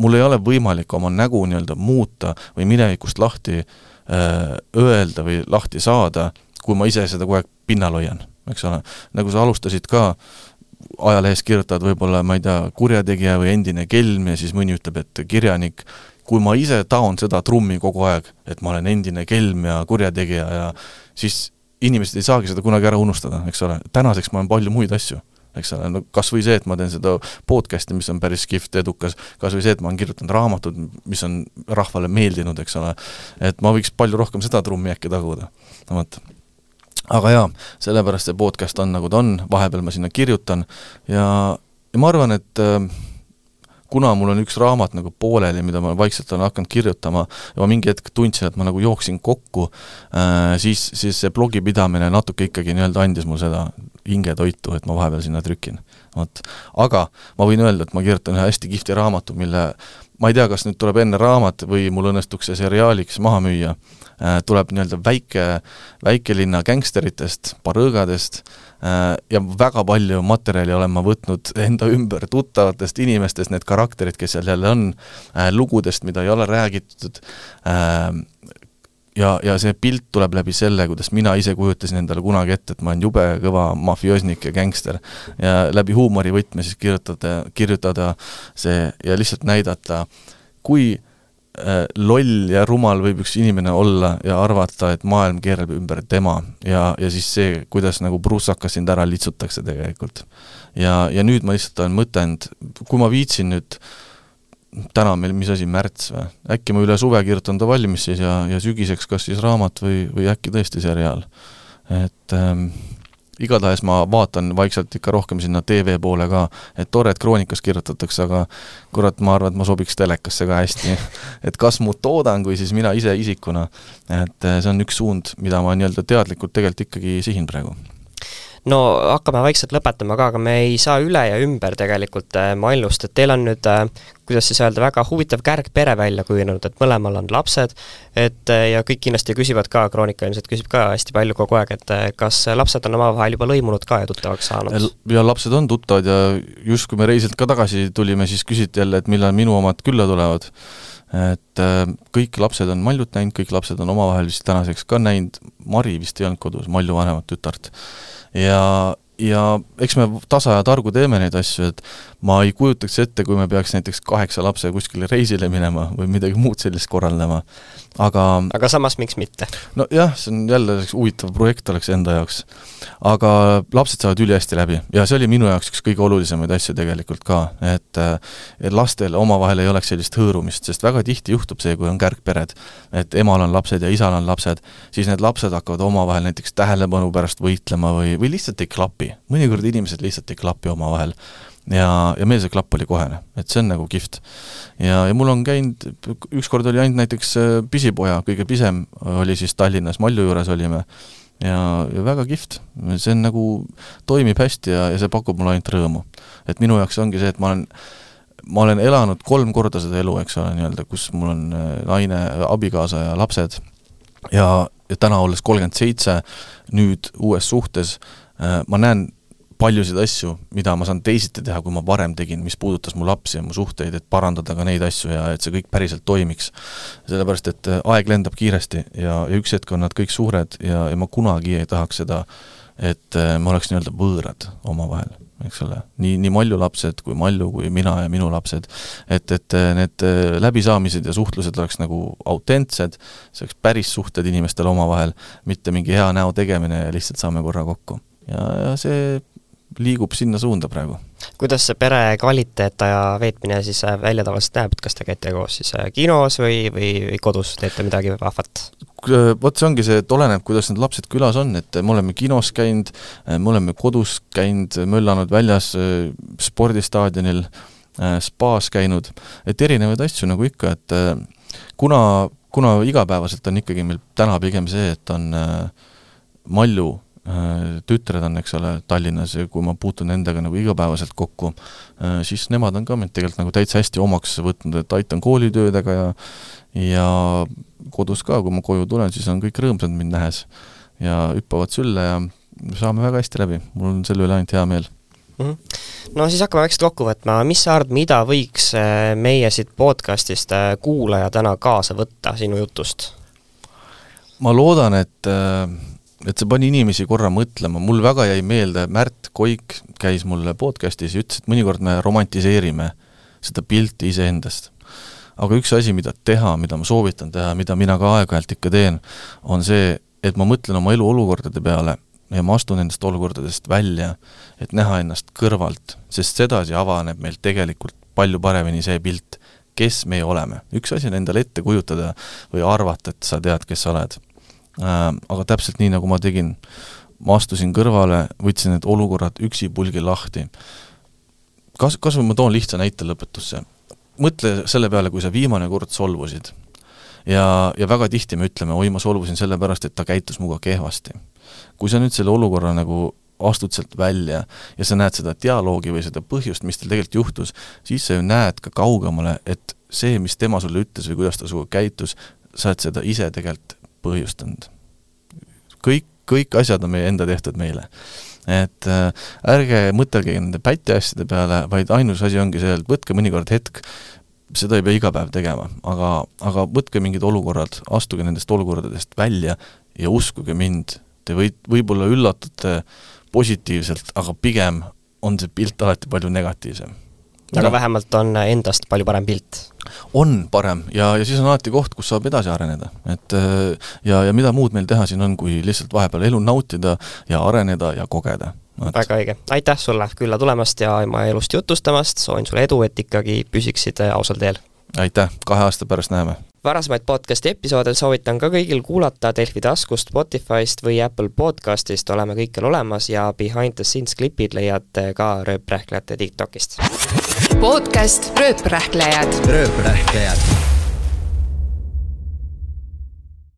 mul ei ole võimalik oma nägu nii-öelda muuta või minevikust lahti öelda või lahti saada, kui ma ise seda kogu aeg pinnal hoian, eks ole. Nagu sa alustasid ka, ajalehes kirjutad võib-olla, ma ei tea, kurjategija või endine kelm ja siis mõni ütleb, et kirjanik, kui ma ise taon seda trummi kogu aeg, et ma olen endine kelm ja kurjategija ja siis inimesed ei saagi seda kunagi ära unustada, eks ole. Tänaseks ma olen palju muid asju, eks ole. No, kas või see, et ma teen seda podcasti, mis on päris kihvt, edukas, kas või see, et ma olen kirjutanud raamatud, mis on rahvale meeldinud, eks ole. Et ma võiks palju rohkem seda trummi äkki taguda. Aga jaa, sellepärast see podcast on nagu ta on, vahepeal ma sinna kirjutan ja ma arvan, et kuna mul on üks raamat nagu pooleli, mida ma vaikselt olen hakanud kirjutama ja ma mingi hetk tundsin, et ma nagu jooksin kokku, siis see blogi pidamine natuke ikkagi nii-öelda andis mul seda hingetoitu, et ma vahepeal sinna trükin. Aga ma võin öelda, et ma kirjutan ühe hästi kihvti raamatu, mille ma ei tea, kas nüüd tuleb enne raamat või mul õnnestuks see seriaaliks maha müüa, tuleb nii-öelda väikelinna gängsteritest, parõõgadest ja väga palju materjali olen ma võtnud enda ümber tuttavatest inimestest, need karakterid, kes seal jälle on, lugudest, mida ei ole räägitud ja see pilt tuleb läbi selle, kuidas mina ise kujutasin endale kunagi ette, et ma olen jube kõva mafioosnik ja gängster ja läbi huumori võtme siis kirjutada see ja lihtsalt näidata, kui loll ja rumal võib üks inimene olla ja arvata, et maailm keerab ümber tema ja siis see, kuidas nagu pruusakas sind ära litsutakse tegelikult. Ja nüüd ma lihtsalt olen mõtelnud, kui ma viitsin nüüd täna meil, mis asi, märts või? Äkki ma üle suve kirjutan ta valmis siis ja sügiseks kas siis raamat või äkki tõesti seriaal. Et igatahes ma vaatan vaikselt ikka rohkem sinna TV poole ka, et tore, et kroonikas kirjutatakse, aga kurat, ma arvan, et ma sobiks telekasse ka hästi. Et kas mu toodang või siis mina ise isikuna, et see on üks suund, mida ma nii-öelda teadlikult tegelikult ikkagi sihin praegu. No hakkame vaikselt lõpetama ka, aga me ei saa üle ja ümber tegelikult maailust, et teil on nüüd, kuidas siis öelda, väga huvitav kärgpere välja kujunenud, et mõlemal on lapsed, et ja kõik kindlasti küsivad ka, kroonika ilmselt küsib ka hästi palju kogu aeg, et kas lapsed on omavahel juba lõimunud ka ja tuttavaks saanud? Ja lapsed on tuttavad ja just kui me reisilt ka tagasi tulime, siis küsiti jälle, et millal minu omad külla tulevad. Et kõik lapsed on Maljut näinud, kõik lapsed on omavahel vist tänaseks ka näinud, Mari vist ei olnud kodus, Malju vanemat tütart. Ja eks me tasa ja targu teeme neid asju, et ma ei kujutaks ette, kui me peaks näiteks 8 lapse kuskile reisile minema või midagi muud sellist korraldama. Aga samas miks mitte? No jah, see on jälle huvitav projekt oleks enda jaoks. Aga lapsed saavad üli hästi läbi ja see oli minu jaoks üks kõige olulisemaid asju tegelikult ka, et lastel omavahel ei oleks sellist hõõrumist, sest väga tihti juhtub see, kui on kärgpered, et emal on lapsed ja isal on lapsed, siis need lapsed hakkavad omavahel näiteks tähelepanu pärast võitlema või lihtsalt ei klapi. Mõnikord inimesed lihtsalt ei klapi omavahel ja meil see klapp oli kohene, et see on nagu kihvt. Ja mul on käinud, ükskord oli ainult näiteks pisipoja, kõige pisem oli siis Tallinnas, Malju juures olime ja väga kihvt, see on nagu toimib hästi ja see pakub mulle ainult rõõmu. Et minu jaoks ongi see, et ma olen elanud 3 korda seda elu, eks ole, nii-öelda, kus mul on naine, abikaasa ja lapsed ja täna olles 37, nüüd uues suhtes, ma näen paljusid asju, mida ma saan teisiti teha, kui ma varem tegin, mis puudutas mu lapsi ja mu suhteid, et parandada ka neid asju ja et see kõik päriselt toimiks. Sellepärast, et aeg lendab kiiresti ja üks hetk on nad kõik suured ja ma kunagi ei tahaks seda, et ma oleks nii-öelda võõrad omavahel, eks ole. Nii Malju lapsed kui Malju, kui mina ja minu lapsed, et need läbisaamised ja suhtlused oleks nagu autentsed, see oleks päris suhted inimestel omavahel, mitte mingi hea näo tegemine ja lihtsalt saame korra kokku. Ja see liigub sinna suunda praegu. Kuidas see pere kvaliteet ja veetmine siis välja tavaliselt näeb, et kas te käite koos siis kinos või kodus teete midagi vahvat? Vot see ongi see, et oleneb, kuidas need lapsed külas on, et me oleme kinos käinud, me oleme kodus käinud, möllanud väljas spordistaadionil, spaas käinud, et erinevaid asju nagu ikka, et kuna igapäevaselt on ikkagi meil täna pigem see, et on Malju tütred on, eks ole, Tallinnas ja kui ma puutun nendega nagu igapäevaselt kokku, siis nemad on ka mind tegelikult nagu täitsa hästi omaks võtnud, et aitan koolitöödega ja kodus ka, kui ma koju tulen, siis on kõik rõõmsad mind nähes ja hüppavad sülle ja saame väga hästi läbi. Mul on selle üle ainult hea meel. No siis hakkame väikselt kokku võtma. Mis sa arvad, mida võiks meie siit podcastist kuulaja täna kaasa võtta sinu jutust? Ma loodan, et see pani inimesi korra mõtlema. Mul väga jäi meelde, Märt Koik käis mulle podcastis ja ütles, et mõnikord me romantiseerime seda pilti iseendast. Aga üks asi, mida teha, mida ma soovitan teha, mida mina ka aeg-ajalt ikka teen, on see, et ma mõtlen oma elu olukordade peale ja ma astun nendest olukordadest välja, et näha ennast kõrvalt, sest sedasi avaneb meil tegelikult palju paremini see pilt, kes me oleme. Üks asi on endale ette kujutada või arvata, et sa tead, kes sa oled. Aga täpselt nii, nagu ma tegin, ma astusin kõrvale, võtsin need olukorrad üksi pulgi lahti. Kas ma toon lihtsa näite lõpetusse? Mõtle selle peale, kui sa viimane kord solvusid. Ja väga tihti me ütleme, oi, ma solvusin selle pärast, et ta käitus muga kehvasti. Kui sa nüüd selle olukorra nagu astud sealt välja ja sa näed seda dialoogi või seda põhjust, mis teil tegelikult juhtus, siis sa ju näed ka kaugemale, et see, mis tema sulle ütles või kuidas ta suga käitus, sa oled seda ise tegelikult põhjustanud. Kõik asjad on meie enda tehtud meile. Et ärge mõtelge nende päti asjade peale, vaid ainus asi ongi see, et võtke mõnikord hetk, seda ei pea iga päev tegema, aga võtke mingid olukorrad, astuge nendest olukordadest välja ja uskuge mind, te võib-olla üllatute positiivselt, aga pigem on see pilt alati palju negatiivsem. Aga vähemalt on endast palju parem pilt. On parem ja siis on alati koht, kus saab edasi areneda. Ja mida muud meil teha siin on, kui lihtsalt vahepeal elu nautida ja areneda ja kogeda. Väga õige. Aitäh sulle külla tulemast ja oma elust jutustamast. Soovin sulle edu, et ikkagi püsiksid ausal teel. Aitäh, 2 aasta pärast näeme. Varasemaid podcasti episoodel soovitan ka kõigil kuulata Delfi taskust, Spotifyst või Apple podcastist. Oleme kõikjal olemas ja behind the scenes klipid leiate ka Rööprähklejate TikTokist. Podcast Rööprähklejad. Rööprähklejad.